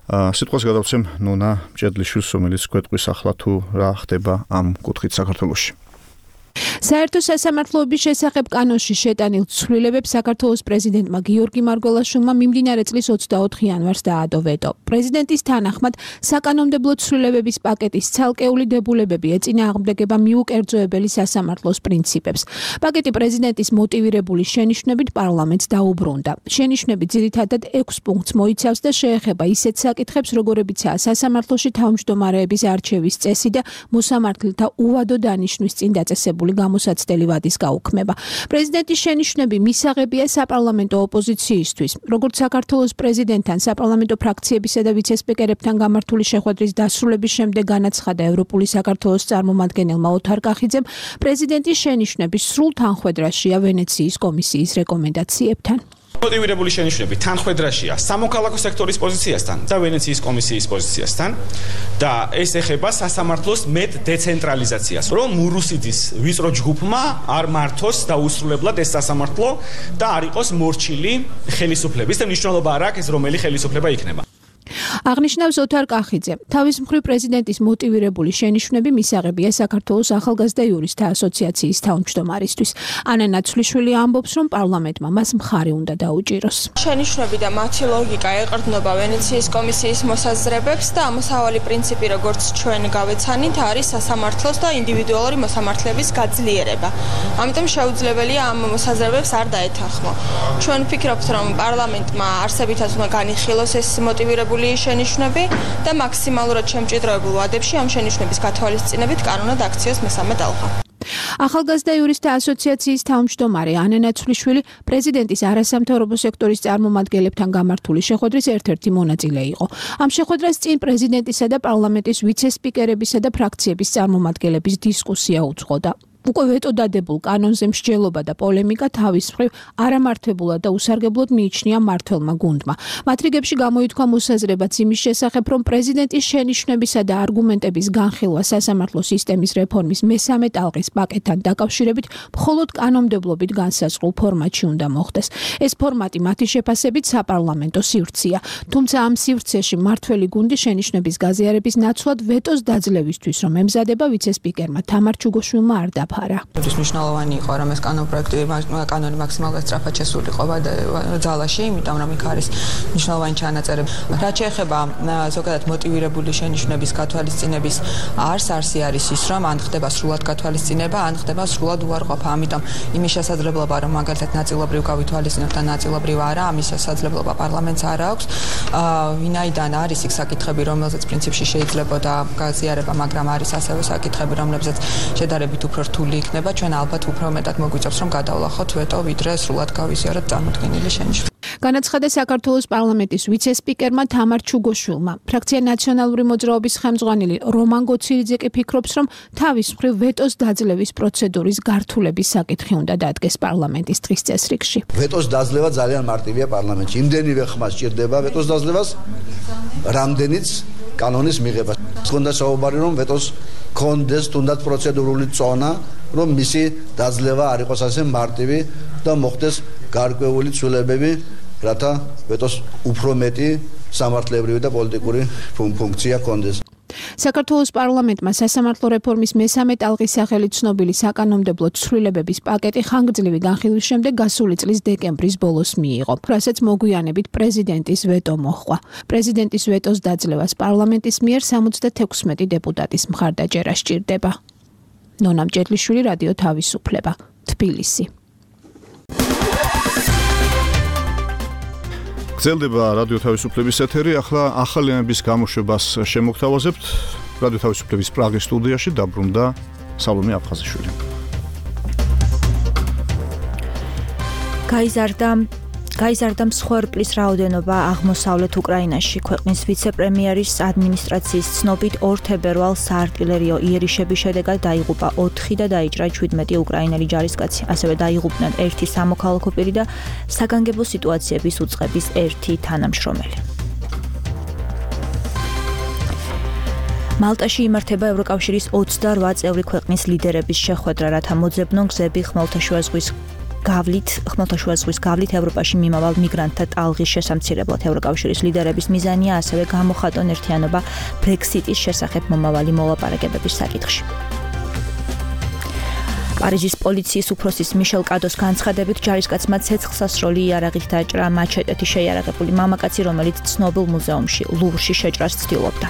სიტყვას გადავცემ ნონა მჭედლიშვილს, რომელიც გვეტყვის ახლა თუ რა ხდება ამ კუთხით საქართველოში. საერთო სასამართლოების შესახებ კანონში შეტანილ ცვლილებებს საქართველოს პრეზიდენტმა გიორგი მარგველაშვილმა მიმდინარე წლის ოცდაოთხი იანვარს დაადო ვეტო. პრეზიდენტის თანახმად საკანონმდებლო ცვლილებების პაკეტის ცალკეული დებულებები ეწინააღმდეგება მიუკერძოებელი სასამართლოს პრინციპებს. პაკეტი პრეზიდენტის მოტივირებული შენიშვნებით პარლამენტს დაუბრუნდა. შენიშვნები ძირითადად ექვს პუნქტს მოიცავს და შეეხება ისეთ საკითხებს, როგორებიცაა სასამართლოში თავმჯდომარეების არჩევის წესი და მოსამართლეთა უვადო დანიშვნის წინ დაწესებული გამოსაცდელი ვადის გაუქმება. პრეზიდენტის შენიშვნები მისაღებია საპარლამენტო ოპოზიციისთვის, როგორც საქართველოს პრეზიდენტთან, საპარლამენტო ფრაქციებისა და ვიცე-სპიკერებთან გამართული შეხვედრის დასრულების შემდეგ განაცხადა ევროპული საქართველოს წარმომადგენელმა ოთარ კახიძემ, პრეზიდენტის შენიშვნები სრულ თანხვედრაშია ვენეციის კომისიის რეკომენდაციებთან. მოტივირებული შენიშვნები თანხვედრაშია სამოქალაქო სექტორის პოზიციასთან და ვენეციის კომისიის პოზიციასთან და ეს ეხება სასამართლოს მეტ დეცენტრალიზაციას, რომ მურუსიძის ვიწრო ჯგუფმა არ მართოს დაუსრულებლად ეს სასამართლო და არ იყოს მორჩილი ხელისუფლების და მნიშვნელობა არ აქვს ეს რომელი ხელისუფლება იქნება. აღნიშნავს ოთარ კახიძე. თავის მხრივ პრეზიდენტის მოტივირებული შენიშვნები მისაღებია საქართველოს ახალგაზრდა იურისტთა ასოციაციის თავმჯდომარისთვის. ანა ნაცვლიშვილი ამბობს, რომ პარლამენტმა მას მხარი უნდა დაუჭიროს. შენიშვნები და მათი ლოგიკა ეყრდნობა ვენეციის კომისიის მოსაზრებებს და ამოსავალი პრინციპი, როგორც ჩვენ გავეცანით, არის სასამართლოს და ინდივიდუალური მოსამართლეების გაძლიერება. ამიტომ შეუძლებელია ამ მოსაზრებებს არ დაეთანხმო. ჩვენ ვფიქრობთ, რომ პარლამენტმა არსებითად უნდა განიხილოს ეს მოტივირებული შენიშვნები და მაქსიმალურად შემჭიდროებულ ვადებში ამ შენიშვნების გათვალისწინებით კანონად აქციოს მესამე ტალღა. ახალგაზრდა იურისტთა ასოციაციის თავმჯდომარე ანა ნაცვლიშვილი პრეზიდენტის არასამთავრობო სექტორის წარმომადგენლებთან გამართული შეხვედრის ერთ-ერთი მონაწილე იყო. ამ შეხვედრას წინ პრეზიდენტისა და პარლამენტის ვიცე-სპიკერებისა და ფრაქციების წარმომადგენლების დისკუსია უძღოდა. უკვე ვეტო დადებულ კანონზე მსჯელობა და პოლემიკა თავის მხრივ არამართებულად და უსარგებლოდ მიიჩნია მმართველმა გუნდმა. მათ რიგებში გამოითქვა მოსაზრებაც იმის შესახებ, რომ პრეზიდენტის შენიშვნებისა და არგუმენტების განხილვა სასამართლო სისტემის რეფორმის მესამე ტალღის პაკეტთან დაკავშირებით მხოლოდ კანონმდებლობით განსაზღვრულ ფორმატში უნდა მოხდეს. ეს ფორმატი მათი შეფასებით საპარლამენტო სივრცეა. თუმცა ამ სივრცეში მმართველი გუნდი შენიშვნების გაზიარების ნაცვლად ვეტოს დაძლევისთვის, რომ ემზადება ვიცე-სპიკერმა თამარ ჩუგოშვილმა არ დაფა. დაამყარა. ის მნიშვნელოვანი იყო, რომ ეს კანონპროექტი კანონი მაქსიმალურად სწრაფად შესულიყო ძალაში, იმიტომ რომ იქ არის მნიშვნელოვანი ჩანაწერები. რაც შეეხება ზოგადად მოტივირებული შენიშვნების გათვალისწინების არს, არსი არის ის, რომ ან ხდება სრულად გათვალისწინება, ან ხდება სრულად უარყოფა. ამიტომ იმის შესაძლებლობა, რომ მაგალითად ნაწილობრივ გავითვალისწინოთ და ნაწილობრივ არა, ამის შესაძლებლობა პარლამენტს არ აქვს. ვინაიდან არის იქ საკითხები, რომელზეც პრინციპში შეიძლებოდა გაზიარება, მაგრამ არის ასევე საკითხები, რომლებზეც შედარებით უფრო რთული იქნება, ჩვენ ალბათ უფრო მეტად მოგვიწევს, რომ გადავლახოთ ვეტო, ვიდრე სრულად გავიზიაროთ წარმოქმნილი შენიშვნა. განაცხადა საქართველოს პარლამენტის ვიცე-სპიკერმა თამარ ჩუგოშვილმა. ფრაქცია ნაციონალური მოძრაობის ხელმძღვანელი რომან გოცილიძე კი ფიქრობს, რომ თავის მხრივ ვეტოს დაძლევის პროცედურის გართულების საკითხი უნდა დადგეს პარლამენტის დღის წესრიგში. ვეტოს დაძლევა ძალიან მარტივია პარლამენტში. იმდენივე ხმა სჭირდება ვეტოს დაძლევას, რამდენიც კანონის მიღება. თუნდაც საუბარი რომ ვეტოს კონდეს თუნდაც პროცედურული წონა, რომ მისი დაძლევა არ იყოს ასე მარტივი და მოხდეს გარკვეული ცვლილებები, რათა ვეტოს უფრო მეტი სამართლებრივი და პოლიტიკური ფუნქცია კონდეს. საქართველოს პარლამენტმა სასამართლო რეფორმის მესამე ტალღის სახელით ცნობილი საკანონმდებლო ცვლილებების პაკეტი ხანგრძლივი განხილვის შემდეგ გასული წლის დეკემბრის ბოლოს მიიღო, რასაც მოგვიანებით პრეზიდენტის ვეტო მოჰყვა. პრეზიდენტის ვეტოს დაძლევას პარლამენტის მიერ სამოცდათექვსმეტი დეპუტატის მხარდაჭერა სჭირდება. ნონა მჭედლიშვილი, რადიო თავისუფლება, თბილისი. გრძელდება რადიო თავისუფლების ეთერი. ახლა ახალი ამების გამოშვებას შემოგთავაზებთ. რადიო თავისუფლების პრაღის სტუდიაში დაბრუნდა სალომე აფხაზიშვილი. გაიზარდა გაიზარდა მსხვერპლის რაოდენობა აღმოსავლეთ უკრაინაში. ქვეყნის ვიცე-პრემიერის ადმინისტრაციის ცნობით ორ თებერვალს საარტილერიო იერიშების შედეგად დაიღუპა ოთხი და დაიჭრა ჩვიდმეტი უკრაინელი ჯარისკაცი. ასევე დაიღუპნენ ერთი სამოქალაქო პირი და საგანგებო სიტუაციების უწყების ერთი თანამშრომელი. მალტაში იმართება ევროკავშირის ოცდარვა წევრი ქვეყნის ლიდერების შეხვედრა, რათა მოძებნონ გზები ხმელთაშუა ზღვის გავლით ხმელთაშუა ზღვის გავლით ევროპაში მიმავალ მიგრანტთა ტალღის შესამცირებლად. ევროკავშირის ლიდერების მიზანია ასევე გამოხატონ ერთიანობა ბრექსიტის შესახებ მომავალი მოლაპარაკებების საკითხში. პარიზის პოლიციის უფროსის მიშელ კადოს განცხადებით, ჯარისკაცმა ცეცხლსასროლი იარაღით დაჭრა მაჩეტეთი შეიარაღებული მამაკაცი, რომელიც ცნობილ მუზეუმში ლუვრში შეჭრას ცდილობდა.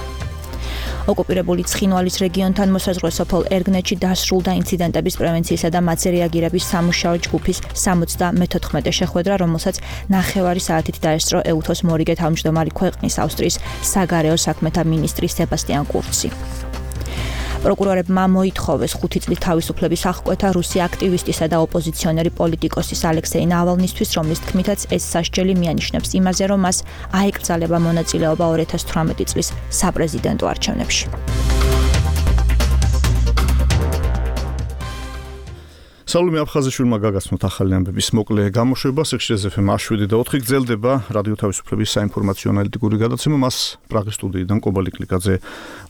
ოკუპირებული ცხინვალის რეგიონთან მოსაზღვრე სოფელ ერგნეთში დასრულდა ინციდენტების პრევენციისა და მათზე რეაგირების სამუშაო ჯგუფის სამოცდამეთოთხმეტე შეხვედრა, რომელსაც ნახევარი საათით დაესწრო ეუთოს მორიგე თავმჯდომარე ქვეყნის ავსტრიის საგარეო საქმეთა მინისტრი სებასტიან კურცი. პროკურორებმა მოითხოვეს ხუთი წლის თავისუფლების აღკვეთა რუსი აქტივისტისა და ოპოზიციონერი პოლიტიკოსის ალექსეი ნავალნისთვის, რომლის თქმითაც ეს სასჯელი მიანიშნებს იმაზე, რომ მას აეკრძალება მონაწილეობა ორი ათას თვრამეტი წლის საპრეზიდენტო არჩევნებში. სალომე აფხაზიშვილმა გაგაცნოთ ახალი ამბების მოკლე გამოშვება. სექშენზე ეფ ემ შვიდი და ოთხი გრძელდება რადიო თავისუფლების საინფორმაციო ანალიტიკური გადაცემა. მას პრაღის სტუდიიდან კობალი კლიკაძე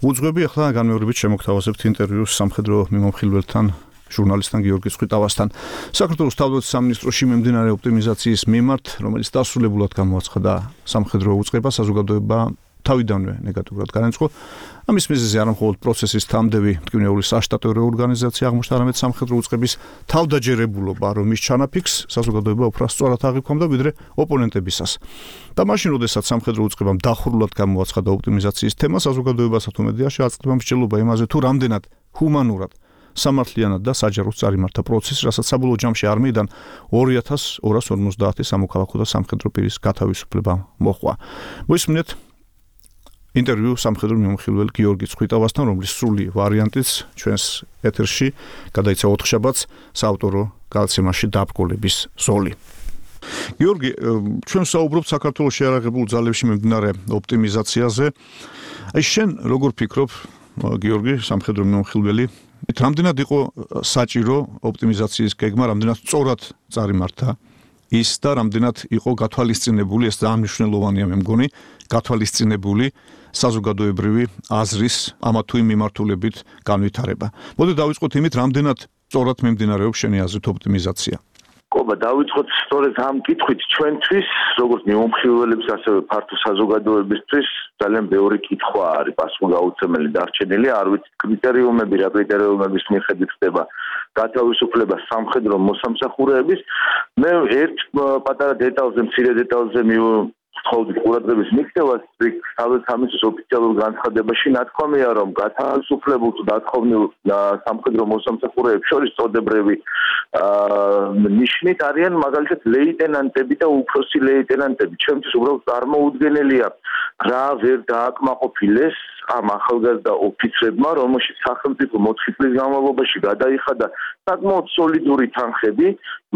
უძღვები. ახლა განმეორებით შემოგთავაზებთ ინტერვიუს სამხედრო მიმოხილველთან, ჟურნალისტთან გიორგი წვიტავასთან. საქართველოს თავდაცვის სამინისტროში მიმდინარე ოპტიმიზაციის მიმართ, რომელიც დასრულებულად გამოაცხადა სამხედრო უწყება, საზოგადოება თავიდანვე ნეგატიურად განეცხო. ამის მიზეზი არა მხოლოდ პროცესის თამდევი მტკივნეული საშტატო რეორგანიზაცია აღმოჩნდა, არამედ სამხედრო უწყების თავდაჯერებულობა, რომ ის ჩანაფიქს საზოგადოება უფრო სწორად აღიქვამდა ვიდრე ოპონენტებისას. და მაშინ, როდესაც სამხედრო უწყებამ დახურულად გამოაცხადა ოპტიმიზაციის თემა, საზოგადოებასაც თუ მედიაში აწყდება მსჯელობა იმაზე, თუ რამდენად ჰუმანურად, სამართლიანად და საჯაროდ წარიმართა პროცესი, რასაც საბოლოო ჯამში არმიიდან ორი ათას ორას ორმოცდაათი სამოქალაქო და სამხედრო პირის გათავისუფლება მოჰყვა. მოისმინეთ ინტერვიუ სამხედრო მიმოხილველ გიორგი წვიტავასთან, რომლის სრული ვარიანტიც ჩვენს ეთერში გადაიცა ოთხშაბათს საავტორო გადაცემაში დაბრკოლების ზოლი. გიორგი, ჩვენ საუბრობთ საქართველოს შეიარაღებულ ძალებში მიმდინარე ოპტიმიზაციაზე. აი შენ როგორ ფიქრობ, გიორგი, სამხედრო მიმოხილველი, რამდენად იყო საჭირო ოპტიმიზაციის გეგმა, რამდენად სწორად წარიმართა ის და რამდენად იყო გათვალისწინებული, ეს ძალიან მნიშვნელოვანია მე მგონი, გათვალისწინებული საზოგადოებრივი აზრის ამა თუ იმ მიმართულებით განვითარება. მოდი დავიწყოთ იმით, რამდენად სწორად მიმდინარეობს შენი აზრით ოპტიმიზაცია. ყობა დავიწყოთ სწორედ ამ კითხვით ჩვენთვის, როგორც მიმომხილველებს, ასევე ფართო საზოგადოებისთვის ძალიან ბევრი კითხვა არის პასუხგაუცემელი დარჩენილი, არ ვიცი კრიტერიუმები, რა კრიტერიუმების მიხედვით ხდება გათავისუფლება სამხედრო მოსამსახურეების. მე ერთ პატარა დეტალზე, მცირე დეტალზე მივხვდი ყურადღების მიქცევას, თავისთავად ოფიციალურ განცხადებაში ნათქვამია, რომ გათავისუფლებულ თუ დათხოვნილ სამხედრო მოსამსახურეებს შორის წოდებრივი ნიშნით არიან მაგალითად ლეიტენანტები და უფროსი ლეიტენანტები. ჩემთვის უბრალოდ წარმოუდგენელია რა ვერ დააკმაყოფილეს ამ ახალგაზრდა ოფიცრებმა, რომელშიც სახელმწიფო მოთხი წლის განმავლობაში გადაიხადა საკმაოდ სოლიდური თანხები,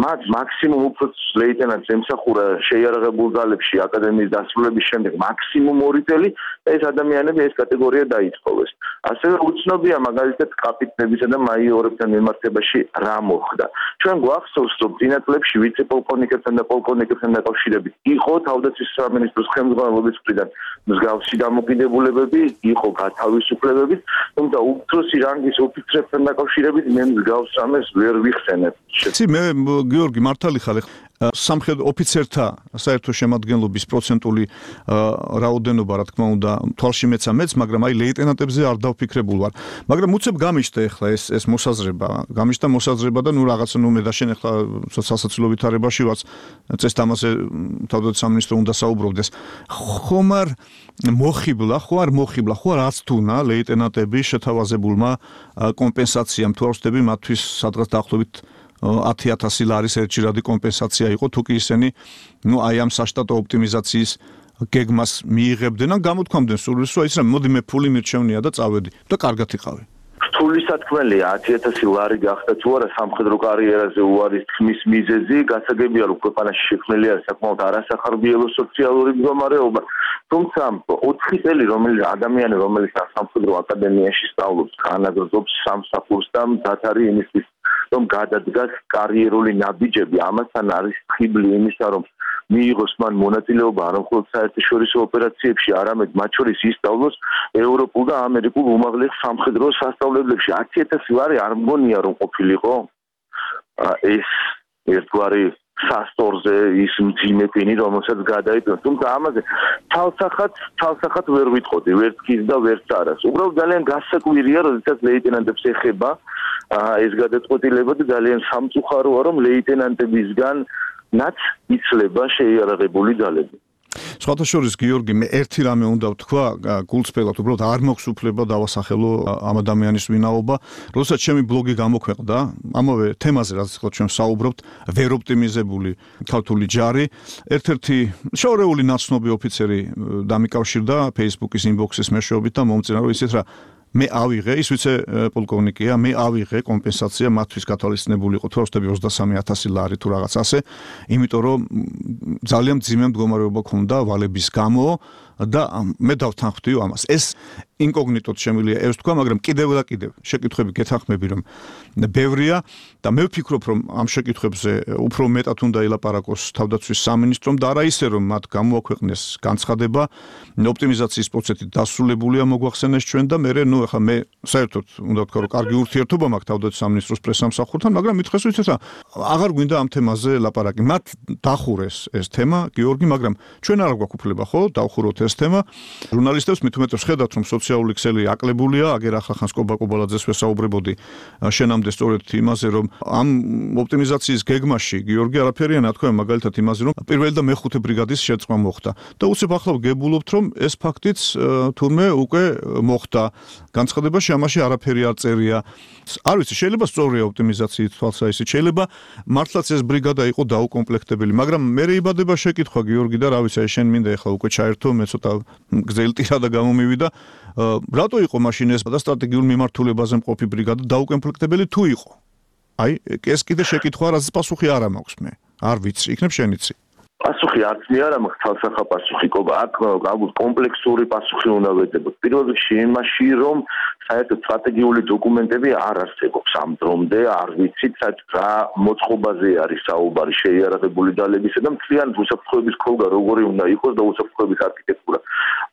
მათ მაქსიმუმ უფროს ლეიტენანტს ემსახურა შეიარაღებულ ძალებში აკადემიის დასრულების შემდეგ მაქსიმუმ ორი წელი, ეს ადამიანები ეს კატეგორია დაითხოვეს. ასევე უცნობია მაგალითად კაპიტნებისა და მაიორებთან მიმართებაში რა მოხდა. ჩვენ გვახსოვს, რომ წინა წლებში ვიცე-პოლკოვნიკებთან და პოლკოვნიკებთან დაკავშირებით იყო თავდაცვის სამინისტროს ხელმძღვანელობის მხრიდან მსგავსი დამოკიდებულებები, იყო გათავისუფლებებით, თუმცა უფროსი რანგის ოფიცრებთან დაკავშირებით მე მსგავს რამეს ვერ ვიხსენებ. ცი მე გიორგი მართალი ხარ სამხედრო ოფიცერთა საერთო შემადგენლობის პროცენტული რაოდენობა რა თქმა უნდა თვალში მეცა მეც, მაგრამ აი ლეიტენანტებზე არ დავფიქრებულ ვარ. მაგრამ უცებ გამიშთა ახლა ეს ეს მოსაზრება, გამიშთა მოსაზრება და ნუ რაღაცა ნუ მე და შენ ახლა სასაცილო ვითარებაში ვარც წეს თამაზე თავდაცვის სამინისტრო უნდა საუბრობდეს. ხომ არ მოხიბლა, ხო არ მოხიბლა, ხო არ აცთუნა ლეიტენანტები შეთავაზებულმა კომპენსაციამ თუ არ ვხდები მათთვის სადღაც დაახლოებით ათი ათასი ლარის ერთჯერადი კომპენსაცია იყო, თუ კი ისინი ნუ აი ამ საშტატო ოპტიმიზაციის გეგმას მიიღებდნენ ან გამოთქვამდნენ სურვილს, რომ ის რა მოდი მე ფული მირჩევნია და წავედი და კარგად იყავი. რთული სათქმელია ათი ათასი ლარი გახდა თუ არა სამხედრო კარიერაზე უარის თქმის მიზეზი, გასაგებია რომ ქვეყანაში შექმნილი არის საკმაოდ არასახარბიელო სოციალური მდგომარეობა. თუმცა ოთხი წელი რომელიც ადამიანი რომელიც სამხედრო აკადემიაში სწავლობს, განაგრძობს სამსახურს და მზად იმისთვის რომ გადადგას კარიერული ნაბიჯები, ამასთან არის ხიბლი იმისა, რომ მიიღოს მან მონაწილეობა არა მხოლოდ საერთაშორისო ოპერაციებში, არამედ მათ შორის ისწავლოს ევროპულ და ამერიკულ უმაღლეს სამხედრო სასწავლებლებში. ათი ათასი ლარი არ მგონია რომ ყოფილიყო ეს ერთგვარი სასტორზე ის მძიმე პინი, რომელსაც გადაიტანს. თუმცა ამაზე თავსახად თავსახად ვერ ვიტყოდი, ვერც ის და ვერც არას. უბრალოდ ძალიან გასაკვირია, როდესაც ლეიტენანტებს ეხება ეს გადაწყვეტილება და ძალიან სამწუხაროა, რომ ლეიტენანტებისგან ნაც იცლება შეიარაღებული ძალები. სხვათა შორის გიორგი მე ერთი რამე უნდა ვთქვა გულწრფელად, უბრალოდ არ მაქვს უფლება დავასახელო ამ ადამიანის ვინაობა, როდესაც ჩემი ბლოგი გამოქვეყნდა ამავე თემაზე, რაც ახლა ჩვენ საუბრობთ, ვერ ოპტიმიზებული ქართული ჯარი, ერთ-ერთი შორეული ნაცნობი ოფიცერი დამიკავშირდა Facebook-ის ინბოქსის მეშვეობით და მომწინა რომ ისეთ რა მე ავიღე, ის ვიცე პოლკოვნიკია, მე ავიღე კომპენსაცია მათთვის გათვალისწინებული იყო თუ ვხდები ოცდასამი ათასი ლარი თუ რაღაც ასე, იმიტომ რომ ძალიან მძიმე მდგომარეობა ქონდა ვალების გამო და მე დავთანხმდიო ამას. ეს ინკოგნიტოდ შემიძლია ეს თქვა, მაგრამ კიდევ და კიდევ შეკითხვები გეთანხმები რომ ბევრია და მე ვფიქრობ რომ ამ შეკითხვებზე უფრო მეტად უნდა ელაპარაკოს თავდაცვის სამინისტრომ და არა ისე რომ მათ გამოაქვეყნეს განცხადება ოპტიმიზაციის პროცესი დასრულებულია მოგვახსენეს ჩვენ და მე ნუ ახლა მე საერთოდ უნდა ვთქვა რომ კარგი ურთიერთობა მაქვს თავდაცვის სამინისტროს პრესამსახურთან, მაგრამ მითხეს ვიცით რა აღარ გვინდა ამ თემაზე ლაპარაკი. მათ დახურეს ეს თემა გიორგი, მაგრამ ჩვენ არ გვაქვს უფლება ხო დავხუროთ ეს თემა. ჟურნალისტებს მით უმეტეს ხედავთ რომ სოციალური ქსელი აკლებულია, აგერ ახლა ხანსკობა კობალაძეს ვესაუბრებოდი შენამდე სწორედ იმაზე რომ ამ ოპტიმიზაციის გეგმაში გიორგი არაფერია ნათქვამი მაგალითად იმაზე რომ პირველი და მეხუთე ბრიგადის შეწყვა მოხდა და უცებ ახლა გებულობთ რომ ეს ფაქტიც თურმე უკვე მოხდა. განცხადებაში ამაში არაფერი არ წერია. არ ვიცი, შეიძლება სწორია ოპტიმიზაციის თვალსაჩინო, შეიძლება მართლაც ეს ბრიგადა იყო დაუკომპლექტებელი, მაგრამ მე იბადება შეკითხვა გიორგი და რა ვიცი, შენ მინდა ახლა უკვე ჩაერთო, მე ცოტა გზელი ტირადა გამომივიდა. რატო იყო მაშინ ეს და სტრატეგიულ მიმართულებაზე მყოფი ბრიგადა დაუკომპლექტებელი თუ იყო? აი, ეს კიდე შეკითხვა, რაც პასუხი არ მაქვს მე. არ ვიცი, იქნებ შენიცი. პასუხი არც მე არ მაქვს თავსახა პასუხი, ყობა, აქ კომპლექსური პასუხი უნდა ვეძებოთ. პირველ რიგში იმაში, რომ საერთოდ სტრატეგიული დოკუმენტები არ არსებობს ამ დრომდე, არ ვიცით რა მოწყობაზე არის საუბარი შეიარაღებული ძალებისა და მთლიან უსაფრთხოების ქოლგა როგორი უნდა იყოს და უსაფრთხოების არქიტექტურა.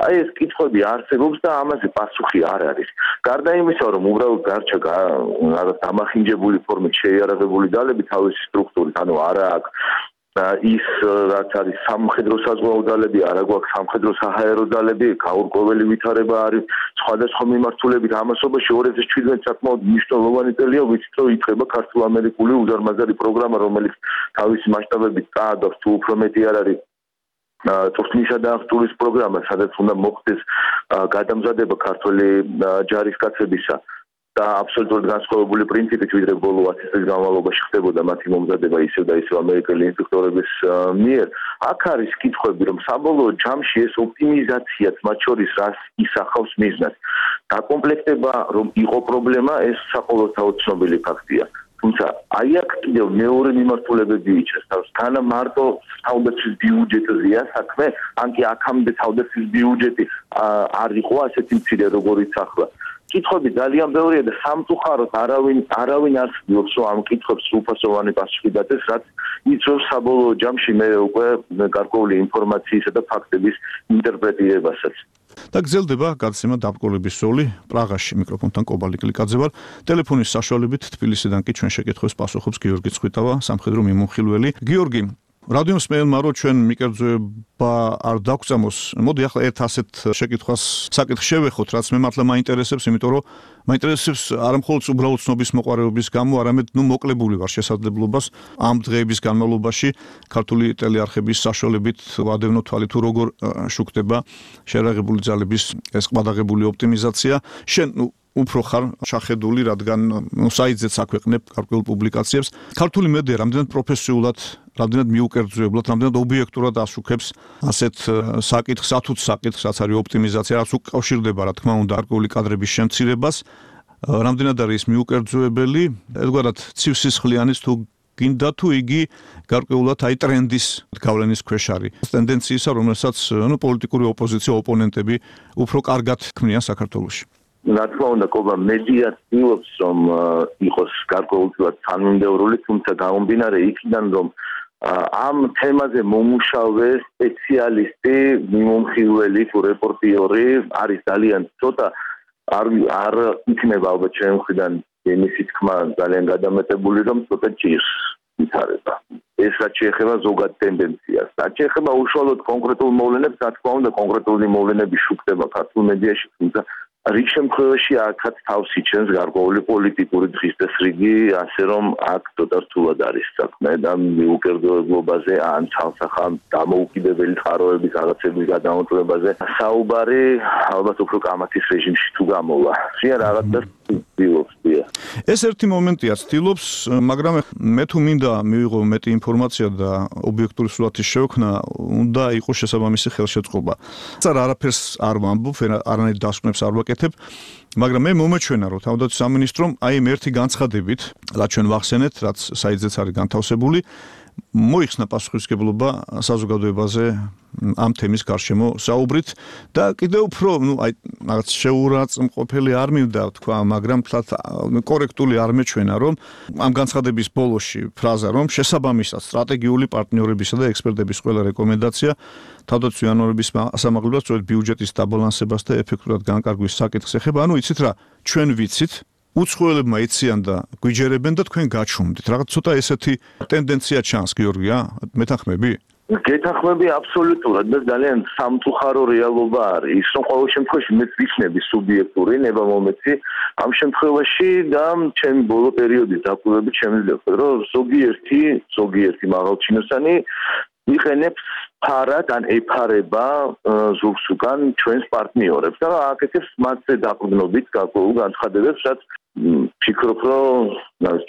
აი ეს კითხვები არსებობს და ამაზე პასუხი არ არის. გარდა იმისა, რომ უბრალოდ გარჩა რაღაც დამახინჯებული ფორმით შეიარაღებული ძალები თავისი სტრუქტურით, ანუ არა აქვს ის რაც არის სამხედრო საზღვაო ძალები, არა გვაქვს სამხედრო საჰაერო ძალები, გაურკვეველი ვითარება არის სხვადასხვა მიმართულებით ამასობაში ორი ათას შვიდმეტი საკმაოდ მნიშვნელოვანი წელია, ვიცით რომ იწყება ქართულ-ამერიკული უზარმაზარი პროგრამა, რომელიც თავისი მასშტაბებით წააგავს თუ უფრო მეტი არ არის ტურნისა და აღჭურვის პროგრამა, სადაც უნდა მოხდეს გადამზადება ქართული ჯარისკაცებისა და აბსოლუტურად განსხვავებული პრინციპით, ვიდრე ბოლო ათი წლის განმავლობაში ხდებოდა მათი მომზადება ისევ და ისევ ამერიკელი ინსტრუქტორების მიერ. აქ არის კითხვები, რომ საბოლოო ჯამში ეს ოპტიმიზაციაც მათ შორის რას ისახავს მიზნად. დაკომპლექტება რომ იყო პრობლემა, ეს საყოველთაოდ ცნობილი ფაქტია. თუმცა აი აქ კიდევ მეორე მიმართულებები იჩნევს. განა მარტო თავდაცვის ბიუჯეტზეა საქმე, ან კი აქამდე თავდაცვის ბიუჯეტი არ იყო ასეთი მცირე როგორიც ახლა. კითხვები ძალიან ბევრია და სამწუხაროდ არავინ არავინ არ ცდილობს რომ ამ კითხვებს სრულფასოვანი პასუხი დათეს, რაც იწვევს საბოლოო ჯამში მე უკვე გარკვეული ინფორმაციისა და ფაქტების ინტერპრეტირებასაც. და გრძელდება გადაცემა დაბრკოლების სული პრაღაში. მიკროფონთან კობალი კლიკაძე ვარ. ტელეფონის საშუალებით თბილისიდან კი ჩვენ შეკითხვებს პასუხობს გიორგი ცხვიტავა, სამხედრო მიმოხილველი. გიორგი, რადიოს მეელმა რო ჩვენ მიკერძოება არ დაგწამოს. მოდი ახლა ერთ ასეთ შეკითხვას საკითხ შევეხოთ, რაც მე მართლა მაინტერესებს, იმიტომ რომ მაინტერესებს არა მხოლოდ უბრალოდ ცნობის მოყარეობის გამო, არამედ ნუ მოკლებული ვარ შესაძლებლობას ამ დღეების განმავლობაში ქართული ტელეარხების საშუალებით ვადევნო თვალი თუ როგორ შუქდება შეიარაღებული ძალების ეს ყბადაღებული ოპტიმიზაცია. შენ ნუ უფრო ხარ შახედული, რადგან საიტზეც აქვეყნებ გარკვეულ პუბლიკაციებს. ქართული მედია რამდენად პროფესიულად, რამდენად მიუკერძოებლად, რამდენად ობიექტურად ასუქებს ასეთ საკითხს, ათუც საკითხს, რაც არის ოპტიმიზაცია, რაც უკავშირდება, რა თქმა უნდა, გარკვეული კადრების შემცირებას, რამდენად არის მიუკერძოებელი, ერთგვარად ცივსისხლიანის თუ გინდა თუ იგი გარკვეულად აი ტრენდის გავლენის ქვეშ არის. ტენდენციისა, რომელსაც ნუ პოლიტიკური ოპოზიცია, ოპონენტები უფრო კარგად ქმნიან საქართველოში. რა თქმა უნდა, კობა მედია ცდილობს რომ იყოს გარკვეულწილად თანმიმდევრული, თუმცა გამომდინარე იქიდან რომ ამ თემაზე მომუშავე სპეციალისტი, მიმომხილველი თუ რეპორტიორი არის ძალიან ცოტა, არ არ იქნება ალბათ ჩემი მხრიდან იმისი თქმა ძალიან გადამეტებული, რომ ცოტა ჭირს ვითარება. ეს რაც შეეხება ზოგად ტენდენციას. რაც შეეხება უშუალოდ კონკრეტულ მოვლენებს, რა თქმა უნდა, კონკრეტული მოვლენები შუქდება ქართულ მედიაში, თუმცა რიგ შემთხვევაში აქაც თავს იჩენს გარკვეული პოლიტიკური დღის წესრიგი, ასე რომ აქ ცოტა რთულად არის საქმე და მიუკერძოებლობაზე ან ცალსახა დამოუკიდებელი წყაროების რაღაცების გადამოწმებაზე საუბარი ალბათ უფრო კამათის რეჟიმში თუ გამოვა. შეა რაღაცას ცდილობს. ეს ერთი მომენტია ცდილობს, მაგრამ მე თუ მინდა მივიღო მეტი ინფორმაცია და ობიექტური სურათის შექმნა, უნდა იყოს შესაბამისი ხელშეწყობა. წარა არაფერს არ ვამბობ, არანაირ დასკვნებს არ ვაკეთებ, მაგრამ მე მომეჩვენა, რომ თავდაცვის სამინისტრომ აი იმ ერთი განცხადებით, რაც ჩვენ ვახსენეთ, რაც საიტზეც არის განთავსებული, მოიხსნა პასუხისმგებლობა საზოგადოებაზე ამ თემის გარშემო საუბრით და კიდევ უფრო, ну, აი რაღაც შეურაცხმყოფელი არ მინდა თქვა, მაგრამ თლათ კორექტული არ მეჩვენა, რომ ამ განცხადების ბოლოში ფრაზა, რომ შესაბამისად სტრატეგიული პარტნიორებისა და ექსპერტების ყველა რეკომენდაცია თავდაცვის იანვარების სამაღლებელს სწორედ ბიუჯეტის დაბალანსებას და ეფექტურად განკარგვის საკითხს ეხება. ანუ იცით რა, ჩვენ ვიცით უცხოელებმა იციან და გვიჯერებენ და თქვენ გაჩვენდით. რაღაც ცოტა ესეთი ტენდენცია ჩანს, გიორგია, მეთანხმები? გეთანხმები აბსოლუტურად და ძალიან სამწუხარო რეალობა არის. ის რომ ყოველ შემთხვევაში მეც ვიქნები სუბიექტური ნება მომეცი ამ შემთხვევაში და ჩემი ბოლო პერიოდის დაკვირვებით შემიძლია ვთქვა, რომ ზოგიერთი, ზოგიერთი მაღალჩინოსანი იყენებს ფარად ან ეფარება ზურგს უკან ჩვენს პარტნიორებს და აკეთებს მათზე დაყრდნობით გარკვეულ განცხადებებს, რაც ფიქრობ, რომ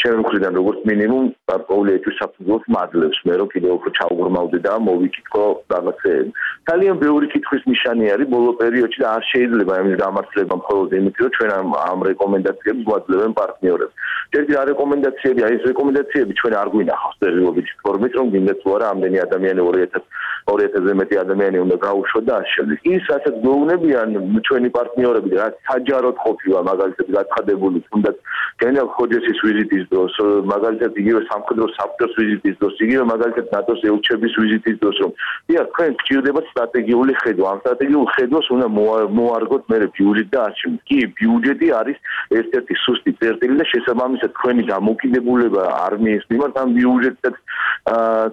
ჩემი მხრიდან როგორც მინიმუმ გარკვეული ეჭვის საფუძველს მაძლევს მე, რომ კიდევ უფრო ჩავღრმავდე და მოვიკითხო რაღაცეები. ძალიან ბევრი კითხვის ნიშანი არის ბოლო პერიოდში და არ შეიძლება იმის დამართლება მხოლოდ იმით, რომ ჩვენ ამ რეკომენდაციებს გვაძლევენ პარტნიორებს. ერთი რა რეკომენდაციები, აი ეს რეკომენდაციები ჩვენ არ გვინახავს წერილობითი ფორმით, რომ გინდათ თუ არა ამდენი ადამიანი ორი ათას ორი ათასზე მეტი ადამიანი უნდა გაუშვათ და ასე შემდეგ. ის რასაც გვეუბნებიან ჩვენი პარტნიორები, რაც საჯაროდ ყოფილა მაგალითად გაცხადებული, თუნდაც გენერალ ხოჯესის ვიზიტის დროს, მაგალითად იგივე სამხედრო საბჭოს ვიზიტის დროს, იგივე მაგალითად ნატოს ელჩების ვიზიტის დროს, რომ დიახ, თქვენ გჭირდებათ სტრატეგიული ხედვა. ამ სტრატეგიულ ხედვას უნდა მოარგოთ მე ბიუჯეტი და ასე შემდეგ. კი, ბიუჯეტი არის ერთ-ერთი სუსტი წერტილი და შესაბამისად თქვენი დამოკიდებულება არმიის მიმართ ამ ბიუჯეტთან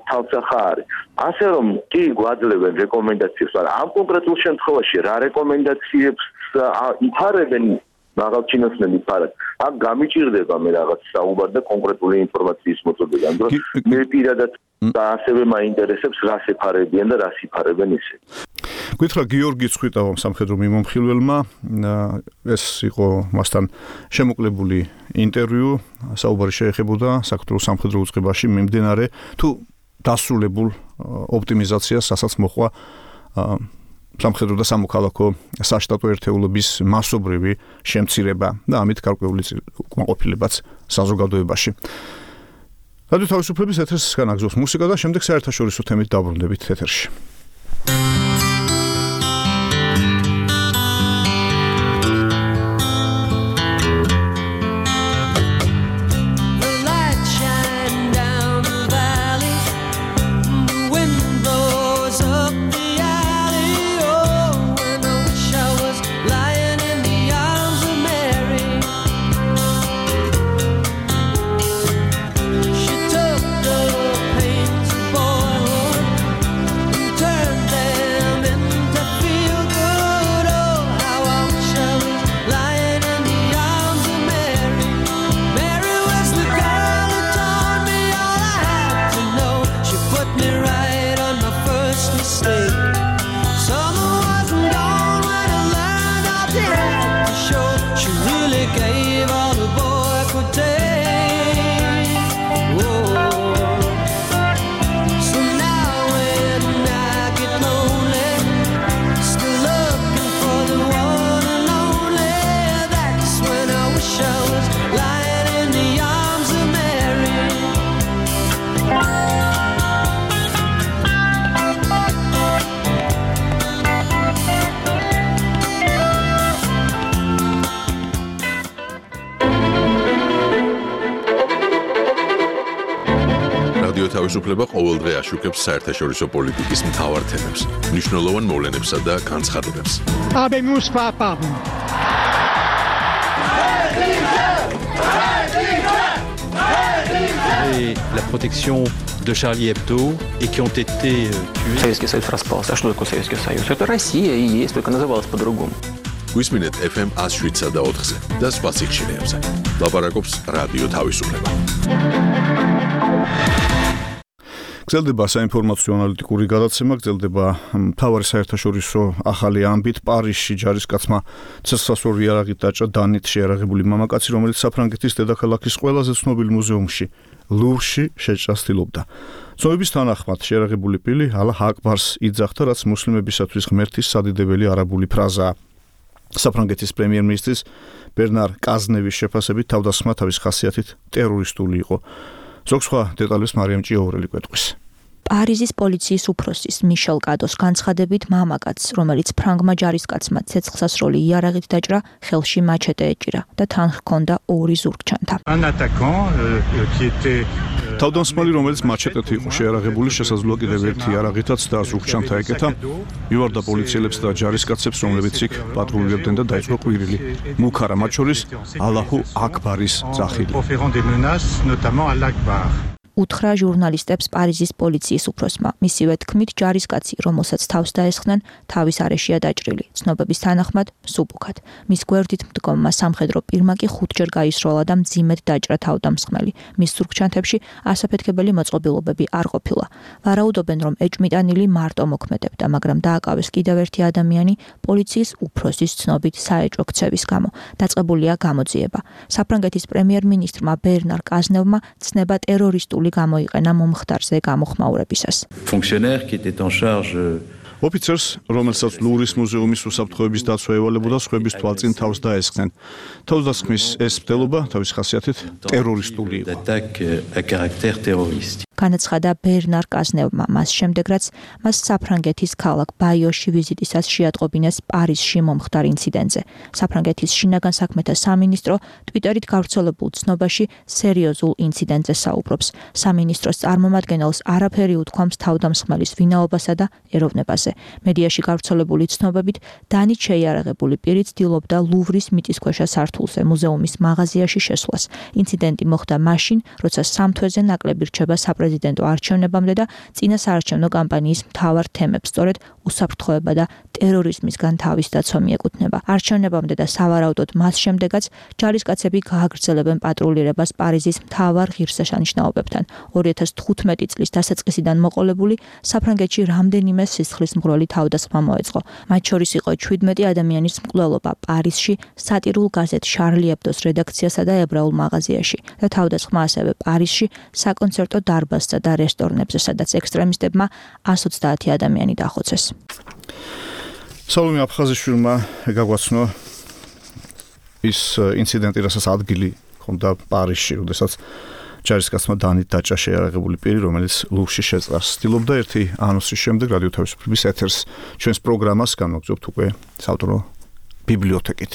თავსახა არის. ასე რომ კი გვაძლევენ რეკომენდაციებს, მაგრამ ამ კონკრეტულ შემთხვევაში რა რეკომენდაციებს იფარებენ მაღალჩინოსნები ფარად. აქ გამიჭირდება მე რაღაც საუბარ და კონკრეტული ინფორმაციის მოწოდება. ამ დროს მე პირადად და ასევე მაინტერესებს რას ეფარებიან და რას იფარებენ ისე. გითხრა გიორგი ცხვიტავა სამხედრო მიმომხილველმა, ეს იყო მასთან შემოკლებული ინტერვიუ, საუბარი შეეხებოდა საქართველოს სამხედრო უწყებაში მიმდინარე თუ დასრულებულ ოპტიმიზაციას, რასაც მოყვა სამხედრო და სამოქალაქო საშტატო ერთეულების მასობრივი შემცირება და ამით გარკვეული უკმაყოფილებაც საზოგადოებაში. რადიო თავისუფლების ეთერს განაგზავს მუსიკა და შემდეგ საერთაშორისო თემით დაბრუნდებით ეთერში. თავისუფლება ყოველდღე აშუქებს საერთაშორისო პოლიტიკის მთავარ თემებს, მნიშვნელოვან მოვლენებსა და განცხადებებს. Habemus papam. Et la protection de Charlie Hebdo et qui ont été tués. Советский Союз распался. А что такое Советский Союз? Это Россия и есть, только называлась по-другому. გვისმინეთ эф эм one oh seven და ოთხზე და სხვა სიხშირეებზე. ლაპარაკობს რადიო თავისუფლება. გრძელდება საინფორმაციო ანალიტიკური გადაცემა, გრძელდება მთავარი საერთაშორისო ახალი ამბით. პარიზში ჯარისკაცმა ცეცხლსასროლი იარაღით დაჭრა დანით შეიარაღებული მამაკაცი, რომელიც საფრანგეთის დედაქალაქის ყველაზე ცნობილ მუზეუმში, ლუვრში შეჭრას ცდილობდა. ცნობების თანახმად შეიარაღებული პილი ალაჰ აკბარს იძახდა, რაც მუსლიმებისათვის ღმერთის სადიდებელი არაბული ფრაზაა. საფრანგეთის პრემიერ-მინისტრის ბერნარ კაზნევის შეფასებით თავდასხმა თავის ხასიათით ტერორისტული იყო. ზოგ სხვა დეტალებს მარიამ ჭიაურელი კვეთყვის. პარიზის პოლიციის უფროსის მიშელ კადოს განცხადებით მამაკაცს, რომელიც ფრანგმა ჯარისკაცმა ცეცხლსასროლი იარაღით დაჭრა, ხელში მაჩეტე ეჭირა და თან ჰქონდა ორი ზურგჩანთა. თავდამსხმელი, რომელიც მაჩეტეთ იყო შეიარაღებული, შესაძლოა კიდევ ერთი იარაღითაც და ზურგჩანთა ეკეთა, მივარდა პოლიციელებს და ჯარისკაცებს, რომლებიც იქ პატრულირებდნენ და დაიწყო ყვირილი. მუქარა მათ შორის ალაჰუ აკბარის ძახილი. უთხრა ჟურნალისტებს პარიზის პოლიციის უფროსმა. მისივე თქმით, ჯარისკაცი, რომელსაც თავს დაესხნენ, თავის არეშია დაჭრილი. ცნობების თანახმად, მსუბუქად. მის გვერდით მდგომმა სამხედრო პირმა კი ხუთჯერ გაისროლა და მძიმედ დაჭრა თავდამსხმელი. მის ზურგჩანთებში ასაფეთქებელი მოწყობილობები არ ყოფილა. ვარაუდობენ, რომ ეჭმიტანილი მარტო მოქმედებდა, მაგრამ დააკავეს კიდევ ერთი ადამიანი პოლიციის უფროსის ცნობით საეჭვო ქცევის გამო. დაწყებულია გამოძიება. საფრანგეთის პრემიერ-მინისტრმა ბერნარ კაზნევმა ცნება ტერორისტული გამოიყენა მომხდარზე გამოხმაურებისას. Fonctionnaire qui était en charge ოფიცერს, რომელსაც ლუვრის მუზეუმის უსაფრთხოების დაცვა ევალებოდა, სხვების თვალწინ თავს დაესხნენ. თავდასხმის ეს მცდელობა თავის ხასიათით ტერორისტული იყო. d'attaque à caractère terroriste. განაცხადა ბერნარ კაზნევმა. მას შემდეგ, რაც მას საფრანგეთის ქალაქ ბაიოში ვიზიტისას შეატყობინეს პარიზში მომხდარ ინციდენტზე. საფრანგეთის შინაგან საქმეთა სამინისტრო ტვიტერით გავრცელებულ ცნობაში სერიოზულ ინციდენტზე საუბრობს. სამინისტროს წარმომადგენელს არაფერი უთქვამს თავდამსხმელის ვინაობასა და ეროვნებაზე. მედიაში გავრცელებული ცნობებით დანით შეიარაღებული პირი ცდილობდა ლუვრის მიწისქვეშა სართულზე მუზეუმის მაღაზიაში შესვლას. ინციდენტი მოხდა მაშინ, როცა სამ თვეზე ნაკლები რჩება საპრეზიდენტო არჩევნებამდე და წინა საარჩევნო კამპანიის მთავარ თემებს, სწორედ უსაფრთხოება და ტერორიზმისგან თავის დაცვა მიეკუთვნება. არჩევნებამდე და სავარაუდოდ მას შემდეგაც ჯარისკაცები გააგრძელებენ პატრულირებას პარიზის მთავარ ღირსშესანიშნაობებთან. ორი ათას თხუთმეტი წლის დასაწყისიდან მოყოლებული საფრანგეთში რამდენიმე სისხლის მღვრელი თავდასხმა მოეწყო. მათ შორის იყო ჩვიდმეტი ადამიანის მკვლელობა პარიზში, სატირულ გაზეთ შარლი ებდოს რედაქციასა და ებრაულ მაღაზიაში და თავდასხმა ასევე პარიზში, საკონცერტო დარბაზსა და რესტორნებზე, სადაც ექსტრემისტებმა εκατს ოცდაათი ადამიანი დახოცეს. სალომე აფხაზიშვილმა გაგვაცნო ის ინციდენტი, რასაც ადგილი ჰქონდა პარიზში, როდესაც ჯარისკაცმა დანით დაჭრა შეიარაღებული პირი, რომელიც ლუვში შეწყვას. ცდილობდა ერთი ანონსის შემდეგ რადიო თავისუფლების ეთერს ჩვენს პროგრამას განვაგრძობთ უკვე საავტორო ბიბლიოთეკით.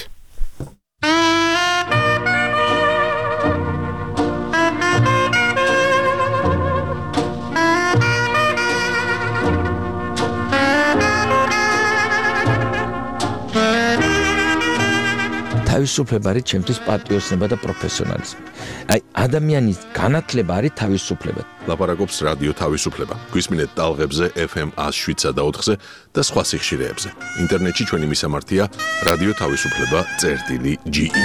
თავისუფლება არის ჩემთვის პატრიოტიზმი და პროფესიონალიზმი. აი ადამიანის განათლება არის თავისუფლება. ლაპარაკობს რადიო თავისუფლება. გვისმინეთ ტალღებზე ეფ ემ ას შვიდსა და ოთხზე და სხვა სიხშირეებზე. ინტერნეტში ჩვენი მისამართია რადიო თავისუფლება წერტილი ჯი ი.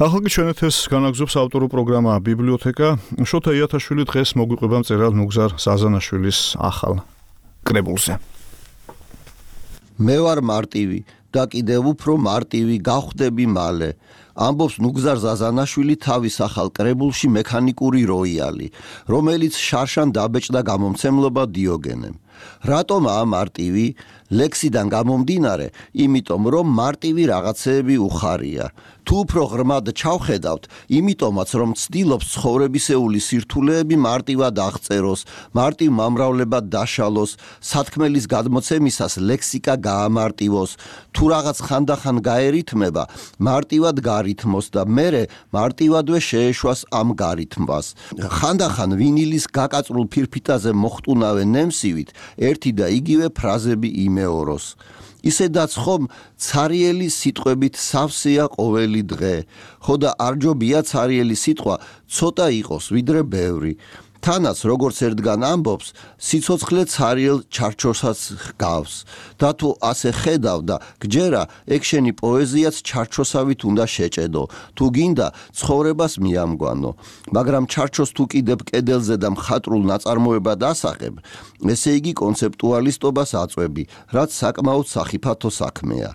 ახლა ჩვენეთეს განაგზობს ავტორო პროგრამა ბიბლიოთეკა. შოთა იათაშვილი დღეს მოგვიყვება მწერალ ნუგზარ ზაზანაშვილის ახალ კრებულზე. მე ვარ მარტივი და კიდევ უფრო მარტივი გავხდები მალე. ამბობს ნუგზარ ზაზანაშვილი თავის ახალ კრებულში მექანიკური როიალი, რომელიც შარშან დაბეჭდა გამომცემლობა დიოგენემ. რატომაა მარტივი? ლექსიდან გამომდინარე, იმიტომ რომ მარტივი რაღაცეები უხარია. თუ უფრო ღრმად ჩავხედავთ, იმიტომაც რომ ცდილობს ცხოვრებისეული სირთულეები მარტივად აღწეროს, მარტივ მომრავლებად დაშალოს, სათქმელის გადმოცემისას ლექსიკა გაამარტივოს, თუ რაღაც ხანდახან გაერითმება, მარტივად გარითმოს და მერე მარტივადვე შეეშვას ამ გარითმვას. ხანდახან ვინილის გაკაწრულ ფირფიტაზე მოხტუნავენ ნემსივით, ერთი და იგივე ფრაზები იმეოროს. ისედაც ხომ ცარიელი სიტყვებით სავსეა ყოველი დღე, ხო და არ ჯობია ცარიელი სიტყვა ცოტა იყოს ვიდრე ბევრი. თანაც როგორც ერთგან ამბობს, სიცოცხლე ცარიელ ჩარჩოსაც ჰგავს და თუ ასე ხედავ და გჯერა, ეგ შენი პოეზიაც ჩარჩოსავით უნდა შეჭედო, თუ გინდა ცხოვრებას მიამგვანო. მაგრამ ჩარჩოს თუ კიდევ კედელზე და მხატვრულ ნაწარმოებად ასახებ, ესე იგი კონცეპტუალისტობას აწვევი, რაც საკმაოდ სახიფათო საქმეა.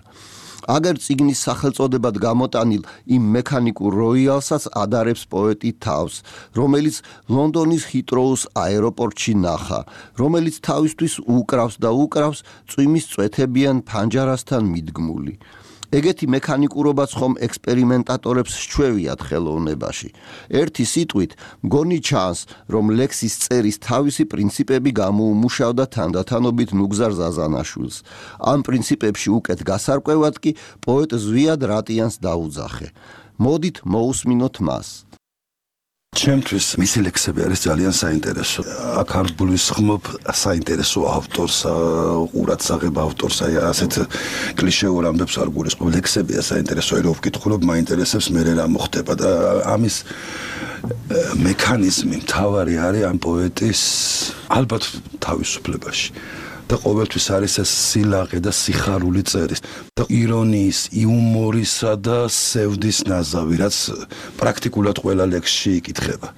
აგერ წიგნის სახელწოდებად გამოტანილ იმ მექანიკურ როიალსაც ადარებს პოეტი თავს, რომელიც ლონდონის ჰიტროუს აეროპორტში ნახა, რომელიც თავისთვის უკრავს და უკრავს წვიმის წვეთებიან ფანჯარასთან მიდგმული. ეგეთი მექანიკურობაც ხომ ექსპერიმენტატორებს სჩვევიათ ხელოვნებაში. ერთი სიტყვით, მგონი ჩანს, რომ ლექსის წერის თავისი პრინციპები გამოუმუშავდა თანდათანობით ნუგზარ ზაზანაშვილს. ამ პრინციპებში უკეთ გასარკვევად კი პოეტ ზვიად რატიანს დაუძახე. მოდით მოусმინოთ მას. ჩემთვის მისი ლექსები არის ძალიან საინტერესო. აქ არ გულისხმობ საინტერესო ავტორს, ყურადსაღებ ავტორს, აი ასეთ კლიშეურ ამბებს არ გულისხმობ. ლექსებია საინტერესო, რომ ვკითხულობ, მაინტერესებს მე რა მოხდება და ამის მექანიზმი მთავარი არის ამ პოეტის ალბათ თავისუფლებაში. და ყოველთვის არის ეს სილაღე და სიხარული წერის და ირონიის, იუმორისა და სევდის ნაზავი, რაც პრაქტიკულად ყველა ლექსში იკითხება.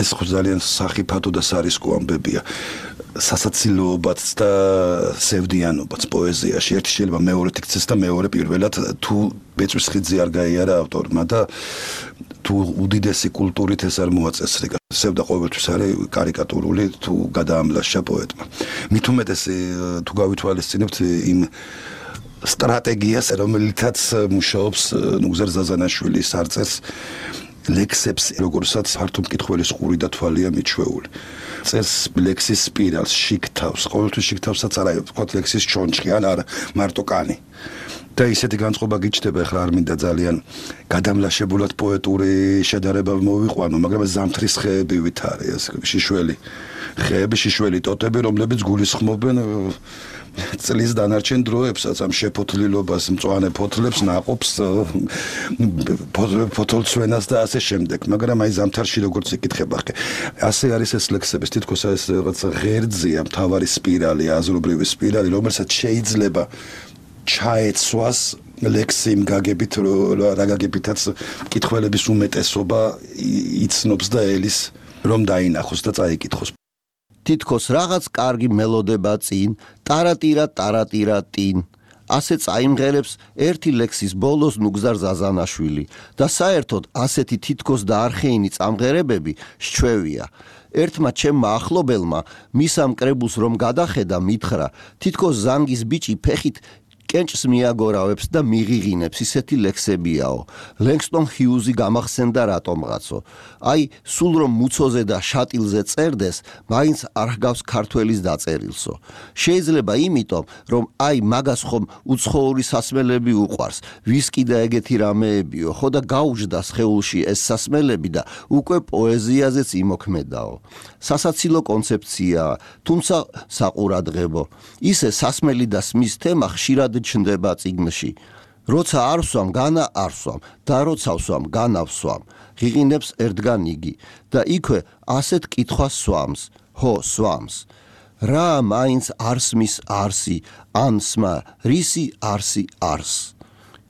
ეს ხო ძალიან სახიფათო და სარისკო ამბებია. სასაცილოობაც და სევდიანობაც პოეზიაში. ერთი შეიძლება მეორედ იქცეს და მეორე პირველად თუ ბეწვის ხიძზე არ გაიარა ავტორმა და თუ უდიდესი კულტურით ეს არ მოაწესრიგა. სევდა ყოველთვის არის კარიკატურული თუ გადაამლაშა პოეტმა. მით უმეტეს თუ გავითვალისწინებთ იმ სტრატეგიას, რომელიცაც მუშაობს ნუგზარ ზაზანაშვილის არწეს ლექსებს, როგორცაც ფართო მკითხველის ყური და თვალია მიჩვეული. წერს ლექსის სპირალს, შიგთავს, ყოველთვის შიგთავსაც არა, ვთქვათ ლექსის ჩონჩხი ან არა, მარტო კანი. და ისეთი განწყობა გიჩნდება, ახლა არ მინდა ძალიან გადამლაშებულად პოეტური შედარება მოვიყვანო, მაგრამ ზამთრის ხეები ვითარე, ეს შიშველი ხეები, შიშველი ტოტები, რომლებიც გულისხმობენ წლის დანარჩენ დროებსაც, ამ შეფოთლილობას, მწვანე ფოთლებს, ნაყოფს, ფოთოლცვენას და ასე შემდეგ. მაგრამ აი ზამთარში როგორც იკითხება, ასე არის ეს ლექსების, თითქოს ეს რაღაც ღერძია, მთავარი სპირალი, აზრობრივი სპირალი, რომელსაც შეიძლება ჩაეცვას ლექსი იმ გაგებით, რა გაგებითაც მკითხველების უმეტესობა იცნობს და ელის რომ დაინახოს და წაიკითხოს. თითქოს რაღაც კარგი მელოდება წინ, ტარატირა ტარატირა ტინ. ასე წაიმღერებს ერთი ლექსის ბოლოს ნუგზარ ზაზანაშვილი და საერთოდ ასეთი თითქოს და არხეინი წამღერებები სჩვევია. ერთმა ჩემმა ახლობელმა მისამ კრებულს რომ გადახედა მითხრა, თითქოს ზანგის ბიჭი ფეხით კენჭს მიაგორავებს და მიღიღინებს, ისეთი ლექსებიაო. ლენგსტონ ჰიუზი გამახსენდა რატომღაცო. აი, სულ რომ მუცოზე და შატილზე წერდეს, მაინც არ ჰგავს ქართველის დაწერილსო. შეიძლება იმიტომ, რომ აი მაგას ხომ უცხოური სასმელები უყვარს, ვისკი და ეგეთი რამეებიო, ხო და გაუжда სხეულში ეს სასმელები და უკვე პოეზიაზეც იმოქმედაო. სასაცილო კონცეფციაა, თუმცა საყურადღებო. ისე სასმელი და სმის თემა ხშირად ჩნდება წიგნში. როცა არ ვსვამ, განა არ ვსვამ და როცა ვსვამ, განა ვსვამ. ღიღინებს ერთგან იგი და იქვე ასეთ კითხვას სვამს. ჰო, სვამს. რა მაინც არსმის არსი, ან სმა, რისი არსი არს.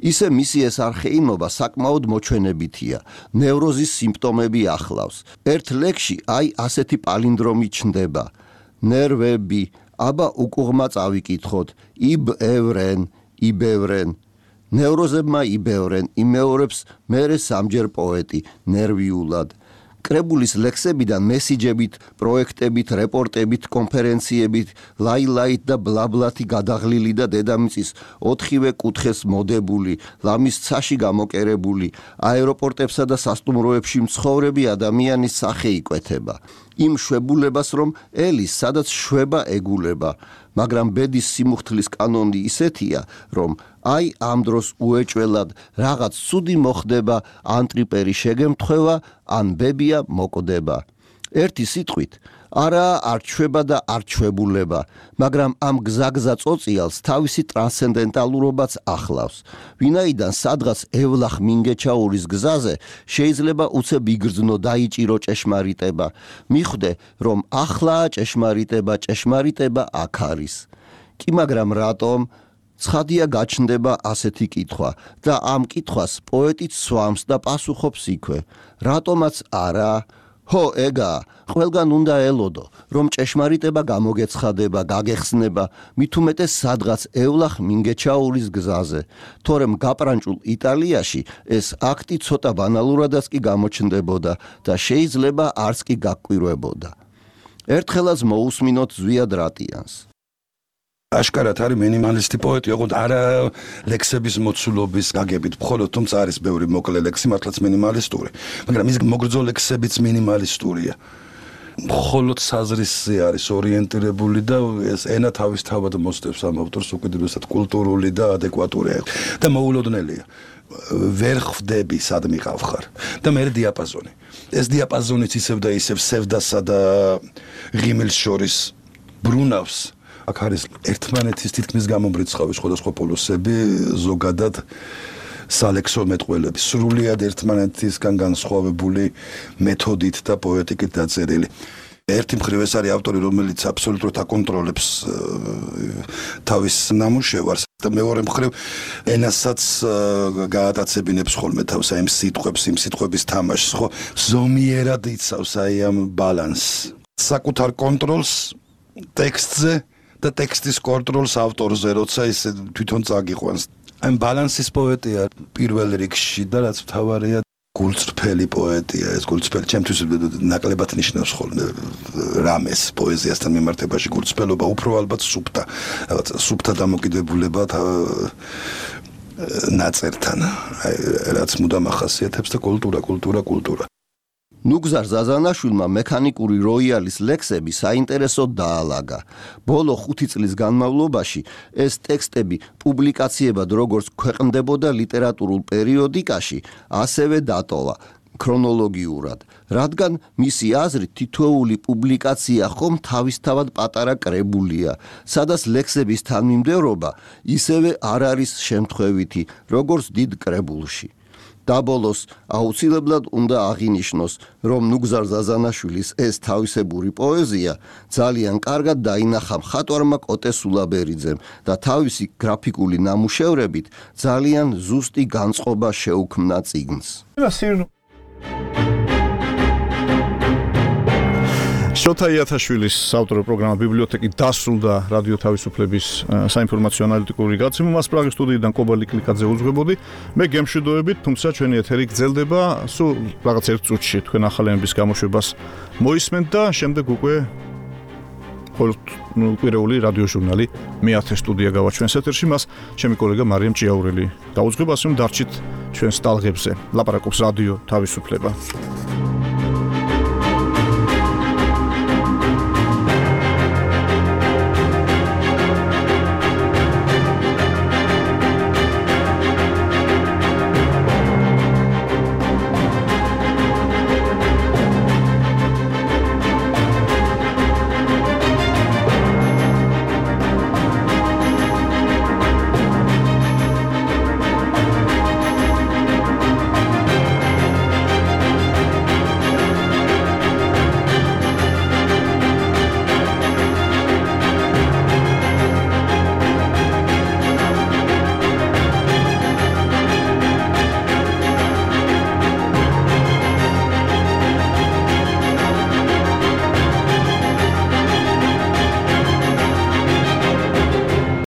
ისე მისი ეს არხეინობა საკმაოდ მოჩვენებითია. ნევროზის სიმპტომები ახლავს. ერთ ლექსში აი ასეთი პალინდრომი ჩნდება. ნერვები, აბა უკუღმა წავიკითხოთ, იბევრენ, იბევრენ. ნევროზებმა იბევრენ, იმეორებს მერე სამჯერ პოეტი, ნერვიულად. კრებულის ლექსებიდან მესიჯებით, პროექტებით, რეპორტებით, კონფერენციებით, ლაილაით და ბლაბლათი გადაღლილი და დედამიწის ოთხივე კუთხეს მოდებული, ლამის ცაში გამოკერებული, აეროპორტებსა და სასტუმროებში მცხოვრები ადამიანის სახე იკვეთება. იმ შვებულებას, რომ ელის, სადაც შვება ეგულება, მაგრამ ბედის სიმუხთლის კანონი ისეთია, რომ აი ამ დროს უეჭველად რაღაც ცუდი მოხდება, ან ტრიპერი შეგემთხვევა, ან ბებია მოკდება. ერთი სიტყვით, არა არ ჩვება და არ ჩვებულება, მაგრამ ამ გზაგზა წოწიალს თავისი ტრანსცენდენტალურობაც ახლავს. ვინაიდან სადღაც ევლახ მინგეჩაურის გზაზე შეიძლება უცებ იგრძნო დაიჭირო ჭეშმარიტება. მიხვდე, რომ ახლაა ჭეშმარიტება, ჭეშმარიტება აქ არის. კი მაგრამ რატომ? ცხადია გაჩნდება ასეთი კითხვა და ამ კითხვას პოეტიც სვამს და პასუხობს იქვე. რატომაც არა? ჰო, ეგა, ყველგან უნდა ელოდო, რომ ჭეშმარიტება გამოგეცხადება, გაგეხსნება, მით უმეტეს სადღაც ევლახ მინგეჩაურის გზაზე. თორემ გაპრანჭულ იტალიაში ეს აქტი ცოტა ბანალურადაც კი გამოჩნდებოდა და შეიძლება არც კი გაგკვირვებოდა. ერთხელაც მოусმინოთ ზვიად რატიანს. აშკარად არის მინიმალისტი პოეტი, ოღონდ არა ლექსების მოცულობის გაგებით, მხოლოდ თუმცა არის ბევრი მოკლე ლექსი, მართლაც მინიმალისტური, მაგრამ ის მოგრძო ლექსებიც მინიმალისტურია. მხოლოდ საზრისზე არის ორიენტირებული და ეს ენა თავისთავად მოსდევს ამ ავტორს უკიდურესად კულტურული და ადეკვატური და მოულოდნელია. ვერ ხვდები სად მიყავ ხარ და მე დიაპაზონი. ეს დიაპაზონიც ისევ და ისევ სევდასა და ღიმილს შორის ბრუნავს. აქ არის ერთმანეთის თითქმის გამომრიცხავი სხვადასხვა პოლოსები, ზოგადად სალექსო მეტყველები, სრულიად ერთმანეთისგან განსხვავებული მეთოდით და პოეტიკით დაწერილი. ერთი მხრივ ეს არის ავტორი, რომელიც აბსოლუტურად აკონტროლებს თავის ნამუშევარს და მეორე მხრივ ენასაც გაატაცებინებს ხოლმე თავს აი იმ სიტყვებს, იმ სიტყვების თამაშს, ხო, ზომიერად იცავს აი ამ ბალანსს. საკუთარ კონტროლს ტექსტზე და ტექსტის კონტროლს ავტორზე, როცა ის თვითონ წაგიყვანს. ამ ბალანსის პოეტია პირველ რიგში და რაც მთავარია გულწრფელი პოეტია, ეს გულწრფელი ჩემთვის ნაკლებად ნიშნავს ხოლმე რამეს პოეზიასთან მიმართებაში გულწრფელობა, უფრო ალბათ სუფთა, რაღაც სუფთა დამოკიდებულება ნაწერთან, რაც მუდამ ახასიათებს და კულტურა, კულტურა, კულტურა. ნუგზარ ზაზანაშვილმა მექანიკური როიალის ლექსები საინტერესოდ დაალაგა. ბოლო ხუთი წლის განმავლობაში ეს ტექსტები პუბლიკაციებად როგორც ქვეყნდებოდა ლიტერატურულ პერიოდიკაში, ასევე დატოვა ქრონოლოგიურად, რადგან მისი აზრით თითოეული პუბლიკაცია ხომ თავისთავად პატარა კრებულია, სადაც ლექსების თანმიმდევრობა ისევე არ არის შემთხვევითი, როგორც დიდ კრებულში. და ბოლოს აუცილებლად უნდა აღინიშნოს, რომ ნუგზარ ზაზანაშვილის ეს თავისებური პოეზია ძალიან კარგად დაინახა მხატვარმა კოტე სულაბერიძემ და თავისი გრაფიკული ნამუშევრებით ძალიან ზუსტი განწყობა შეუქმნა წიგნს. შოთა იათაშვილის საავტორო პროგრამა ბიბლიოთეკი დასრულდა რადიო თავისუფლების საინფორმაციო ანალიტიკური გაცემა. მას პრაღის სტუდიიდან კობალი კლიკაძე უძღვებოდი. მე გემშვიდობებით, თუმცა ჩვენი ეთერი გრძელდება სულ რაღაც ერთ წუთში თქვენ ახალენების გამოშვებას მოისმენთ და შემდეგ უკვე ყოველკვირეული რადიო ჟურნალი მეათე სტუდია გავაჩვენს ეთერში. მას ჩემი კოლეგა მარიამ ჭიაურელი დაუძღვება, ასე რომ დარჩით ჩვენს ტალღებზე. ლაპარაკობს რადიო თავისუფლება.